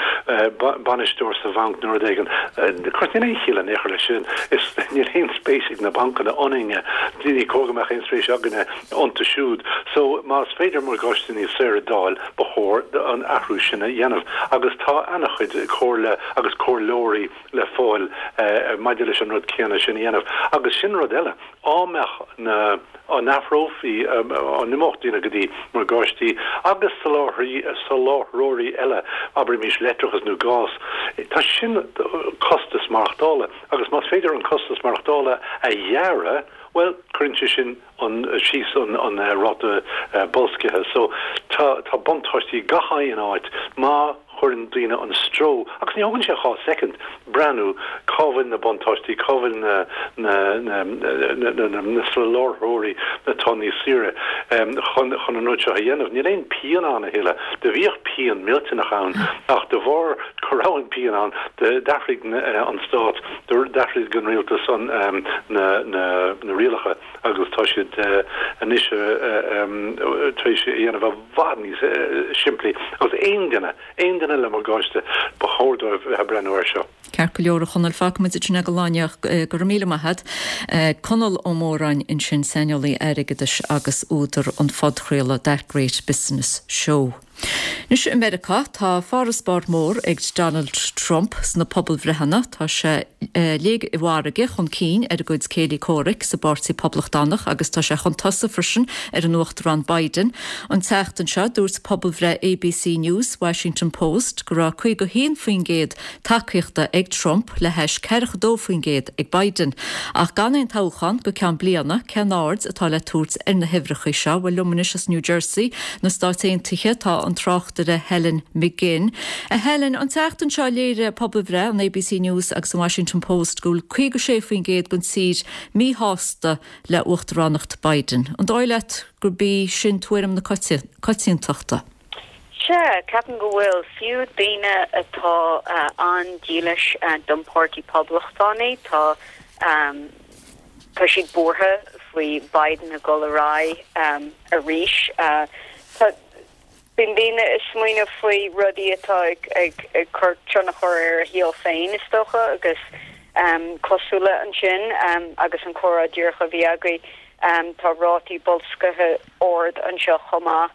bainisteoir sa bhanc nó rud éigin. Of course, níl aon chiall in aon chor leis sin. Is níl aon spéis ag na bancanna ionainne, ní cóir go mbeadh aon spéis againne iontu siúd. So, más féidir morgáiste níos saoire d'fháil, ba chóir an athrú sin a dhéanamh. Agus tá ana-chuid comhairle agus comhairleoirí le fáil maidir leis an rud céanna sin a dhéanamh. Agus sin rud eile, á mbeadh na, á n-athrófaí, á n-imeodh daoine go dtí morgáistí agus soláthraí, soláthróirí eile, abraimis leictreachas nó gás, tá sin costas maireachtála agus más féidir an costas maireachtála a ghearradh, bhuel, cuireann sé sin an, síos an, an ráta boilscithe. So, tá, tá buntáistí gach aon áit má chuireann daoine an stró, agus ní thógann sé dhá soicind, breathnú cá bhfuil na buntáistí, cá bhfuil na na na na na soláthróirí atá níos saoire chun chun an rud seo a dhéanamh. Níl aon pian ann a thuilleadh. Do bhíodh pian millteanach ann ach de bharr go raibh an pian ann d'athraigh an stát, d'athraigh an rialtas an na na na rialacha agus tá siad anois tar éis é a dhéanamh i bhfad níos simplí agus aon duine, aon duine le morgáiste, ba chóir dóibh bheith ag breathnú air seo. Ceart go leor, a Chonaill, fágfaimid ansin é don lá inniu ach go raibh míle maith agat. Conall Ó Móráin ansin, saineolaí airgeadais agus údar an phodchraoladh That Great Business Show. Anois i Meiriceá, tá farasbarr mór ag Donald Trump sna pobalbhreitheanna. Tá sé léig i bhfarraige chun cinn ar a gcuid céilí comhraic sa bPáirtí Poblachtánach agus tá sé chun tosaigh freisin ar an Uachtarán Biden. An tseachtain seo, dúirt pobalbhreith ABC News, Washington Post go raibh caoga haon faoin gcéad tacaíochta ag Trump le hais ceathracha dó faoin gcéad ag Biden. Ach gan aon toghchán go ceann bliana, cén aird atá le tabhairt ar na huimhreacha seo? Bhuel, liom anois as New Jersey, na Stáit Aontaithe, tá an tráchtaire Helen McGinn. A Helen, an tseachtain seo léirigh pobalbhreith an ABC News agus an Washington Post go bhfuil caoga sé faoin gcéad den tír míshásta le uachtaránacht Biden. An dóigh leat gurb í sin tuairim na coitiantachta? Sea, ceapaim go bhfuil fiú daoine atá an-dílis don Páirtí Poblachtánaí, tá tá siad buartha faoi Biden ag dul ar aghaidh arís. Tá Bíonn daoine ag smaoineamh faoi rudaí atá ag ag cur tionchar ar a shaol féin, is dócha, agus cosúil le ansin agus an comhrá díreach a bhí agaibh, tá rátaí boilscithe ard anseo chomh maith,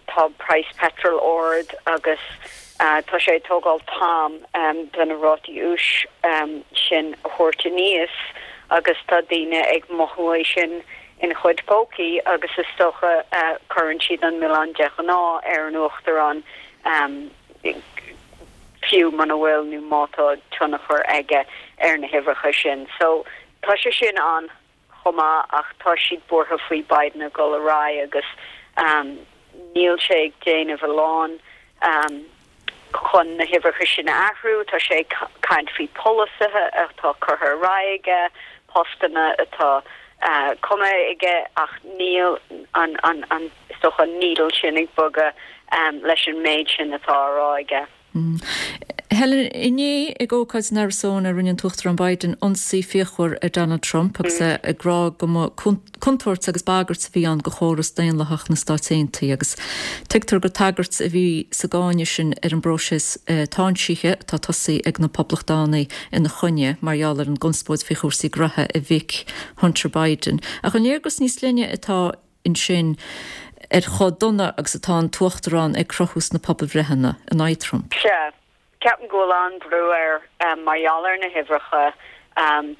tá praghas peitril ard agus tá sé ag tógáil t-am do na rátaí úis sin a thabhairt aníos agus tá daoine ag mothú é sin. ina chuid pócaí agus is dócha cuireann siad an milleán de ghnáth ar an Uachtarán fiú muna bhfuil nó má tá tionchar aige ar na huimhreacha sin. So tá sé sin ann chomh maith ach tá siad buartha faoi Biden ag dul ar aghaidh agus níl sé ag déanamh a lán chun na huimhreacha sin a athrú. Tá sé ag caint faoi pholasaithe atá curtha ar aghaidh aige, postanna atá cumtha aige ach níl an an an is dócha an needle sin ag bogadh leis an méid sin atá á rá aige. Helen, inné ag ócáid in Arizona rinne an tUachtarán Biden ionsaí fíochmhar ar Donald Trump agus é ag rá go mba contúirt agus bagairt a bhí ann do chóras daonlathach na Stát Aontaithe agus tuigtear gur tagairt a bhí sa gcáineadh sin ar an bpróiseas táinsithe atá tosaithe ag na Poblachtánaigh ina choinne mar gheall ar an gconspóid faoi chúrsaí gnoithe a mhic Hunter Biden. Ach an léargas níos leithne atá ansin ar chomh dona agus atá an tUachtarán ag cruthú sna pobalbhreitheanna in aghaidh Trump? Sea. Ceapaim go bhfuil an-bhrú air mar gheall ar na huimhreacha.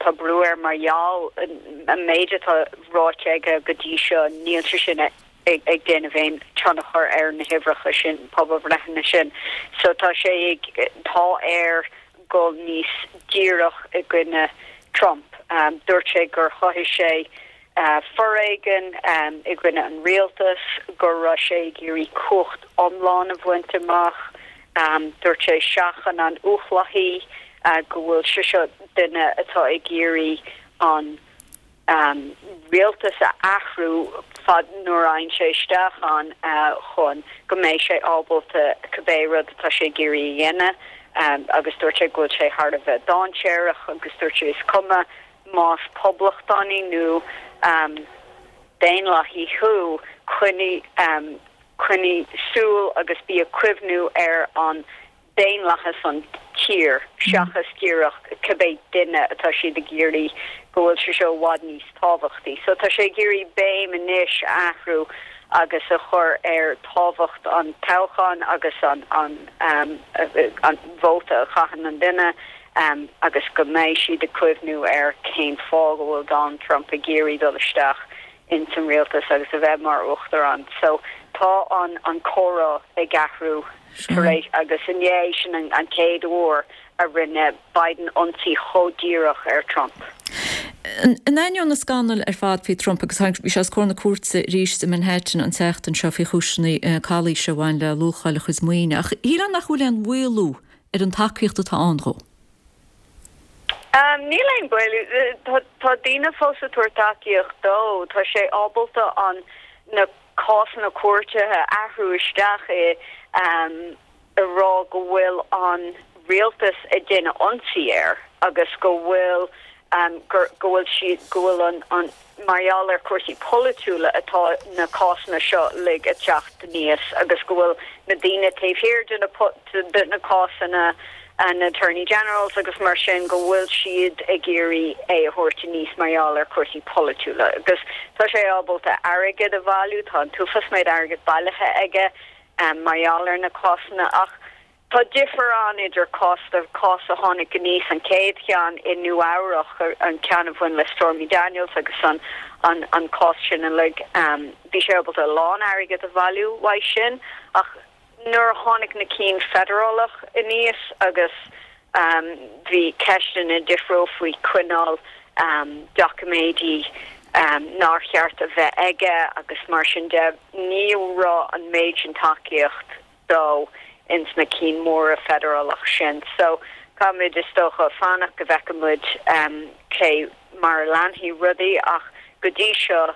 Tá brú air mar gheall an méid atá ráite aige go dtí seo, níl sé sin ag déanamh aon tionchar ar na huimhreacha sin, pobalbhreitheanna sin. So tá sé ag, tá air dul níos díreach i gcoinne Trump. Dúirt sé gur chothaigh sé foréigean i gcoinne an rialtais, go raibh sé ag iarraidh cumhacht iomlán a bhaint amach. Dúirt sé seachain an uathlathaí, go bhfuil sé seo duine atá ag iarraidh an rialtas a athrú fad nuair a fhaigheann sé isteach ann chun go mbeidh sé ábalta cibé rud atá sé ag iarraidh a dhéanamh agus dúirt sé go bhfuil sé thar a bheith dainséarach agus dúirt sé is cuma más poblachtánaí nó daonlathaí thú, coinnigh coinnigh súil agus bí ag cuimhniú ar an daonlathas an tír seachas díreach cibé duine atá siad ag iarraidh go bhfuil sé seo i bhfad níos tábhachtaí. So tá sé ag iarraidh béim anois a athrú agus a chur ar tábhacht an toghcháin agus an an an vóta a chaitheann an duine agus go mbeidh siad ag cuimhniú ar cén fáth go bhfuil Donald Trump ag iarraidh dul isteach ins an rialtas agus a bheith mar uachtarán. So tá an an comhrá ag athrú tar éis agus inné sin an an chéad uair a rinne Biden ionsaí chomh díreach ar Trump. In ainneoin na scannail ar fad faoi Trump agus bhí sé os comhair na cúirte arís i Manhattan an tseachtain seo faoi chúiseanna calaoise a bhain le luacháil a chuid maoine, ach shílfeá nach bhfuil aon mhaolú ar an tacaíocht atá ann dhó. Níl aon mhaolú. Tá daoine fós ag tabhairt tacaíocht dó. Tá sé ábalta an na cásanna cúirte a athrú isteach i a rá go bhfuil an rialtas ag déanamh ionsaí air agus go bhfuil gur go bhfuil siad go bhfuil an an mar gheall ar chúrsaí polaitiúla atá na cásanna seo uilig ag teacht aníos agus go bhfuil na daoine taobh thiar de na de na cásanna na attorney generals agus mar sin go bhfuil siad ag iarraidh é a thabhairt aníos mar gheall ar chúrsaí polaitiúla agus tá sé ábalta airgead a bhailiú tá an t-uafás méid airgead bailithe aige mar gheall ar na cásanna ach tá difear ann idir cás cás a tháinig aníos an chéad cheann i Nua Eabhrac an ceann a bhain le Stormy Daniels agus an an an cás sin uilig bhí sé ábalta a lán airgead a bhailiú uaidh sin ach nuair a tháinig na cinn feidearálach aníos agus bhí ceisteanna difriúil faoi choinneáil doiciméidí nár cheart a bheith aige agus mar sin de ní raibh an méid sin tacaíocht dó ins na cinn móra feidearálach sin. So caithfimid is dócha fanacht go bhfeicfimid cé mar a leanfaidh rudaí ach go dtí seo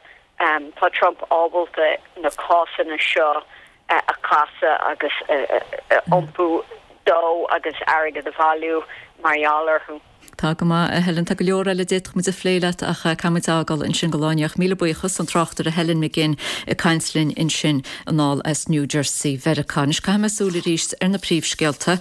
tá Trump ábalta na cásanna seo a chasadh agus a iompú dó agus airgead a bhailiú mar gheall orthu. Tá go maith, a Helen. Tá go leor eile a d'fhéadfadh muid a phlé leat ach caithfidh muid fhágáil ansin don lá inniu. Míle buíochas, an tráchtaire Helen McGinn ag caint linn ansin anall as New Jersey, Mheiriceá. Anois caithfidh mé súil arís ar na príomhscéalta.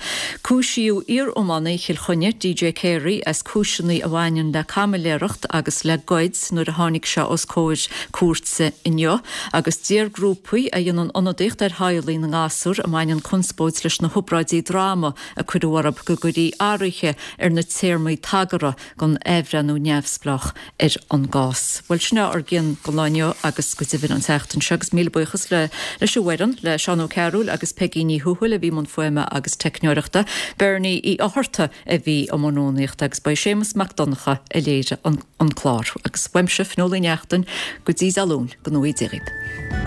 Cúisíodh iar-iománaí Chill Chainnigh, DJ Carey, as cúiseanna a bhaineann le caimiléireacht agus le goid nuair a tháinig sé os comhair cúirte inniu. Agus deir grúpaí a dhéanann ionadaíocht ar theaghlaigh na ngasúr a mbaineann conspóid leis na hobráidí droma a cuireadh orthu go gcuirfí athruithe ar na téarmaí tagartha don athbhreithniú neamhspleách ar an gcás. Bhuel sin é ár gcionn don lá inniu agus go deimhin an tseachtain seo agus míle buíochas le leis an bhfoireann, le Seán Ó Cearúil agus Peigí Ní Thuathail a bhí i mbun fuaime agus teicneoireachta, Bernie Uí Fhátharta a bhí i mbun rúnaíochta agus ba é Séamus Mac Donncha a léirigh an an clár. Agus uaimse, Fionnuala Ní Neachtain, go dtí Dé Luain, go ngnóthaí Dia dhaoibh.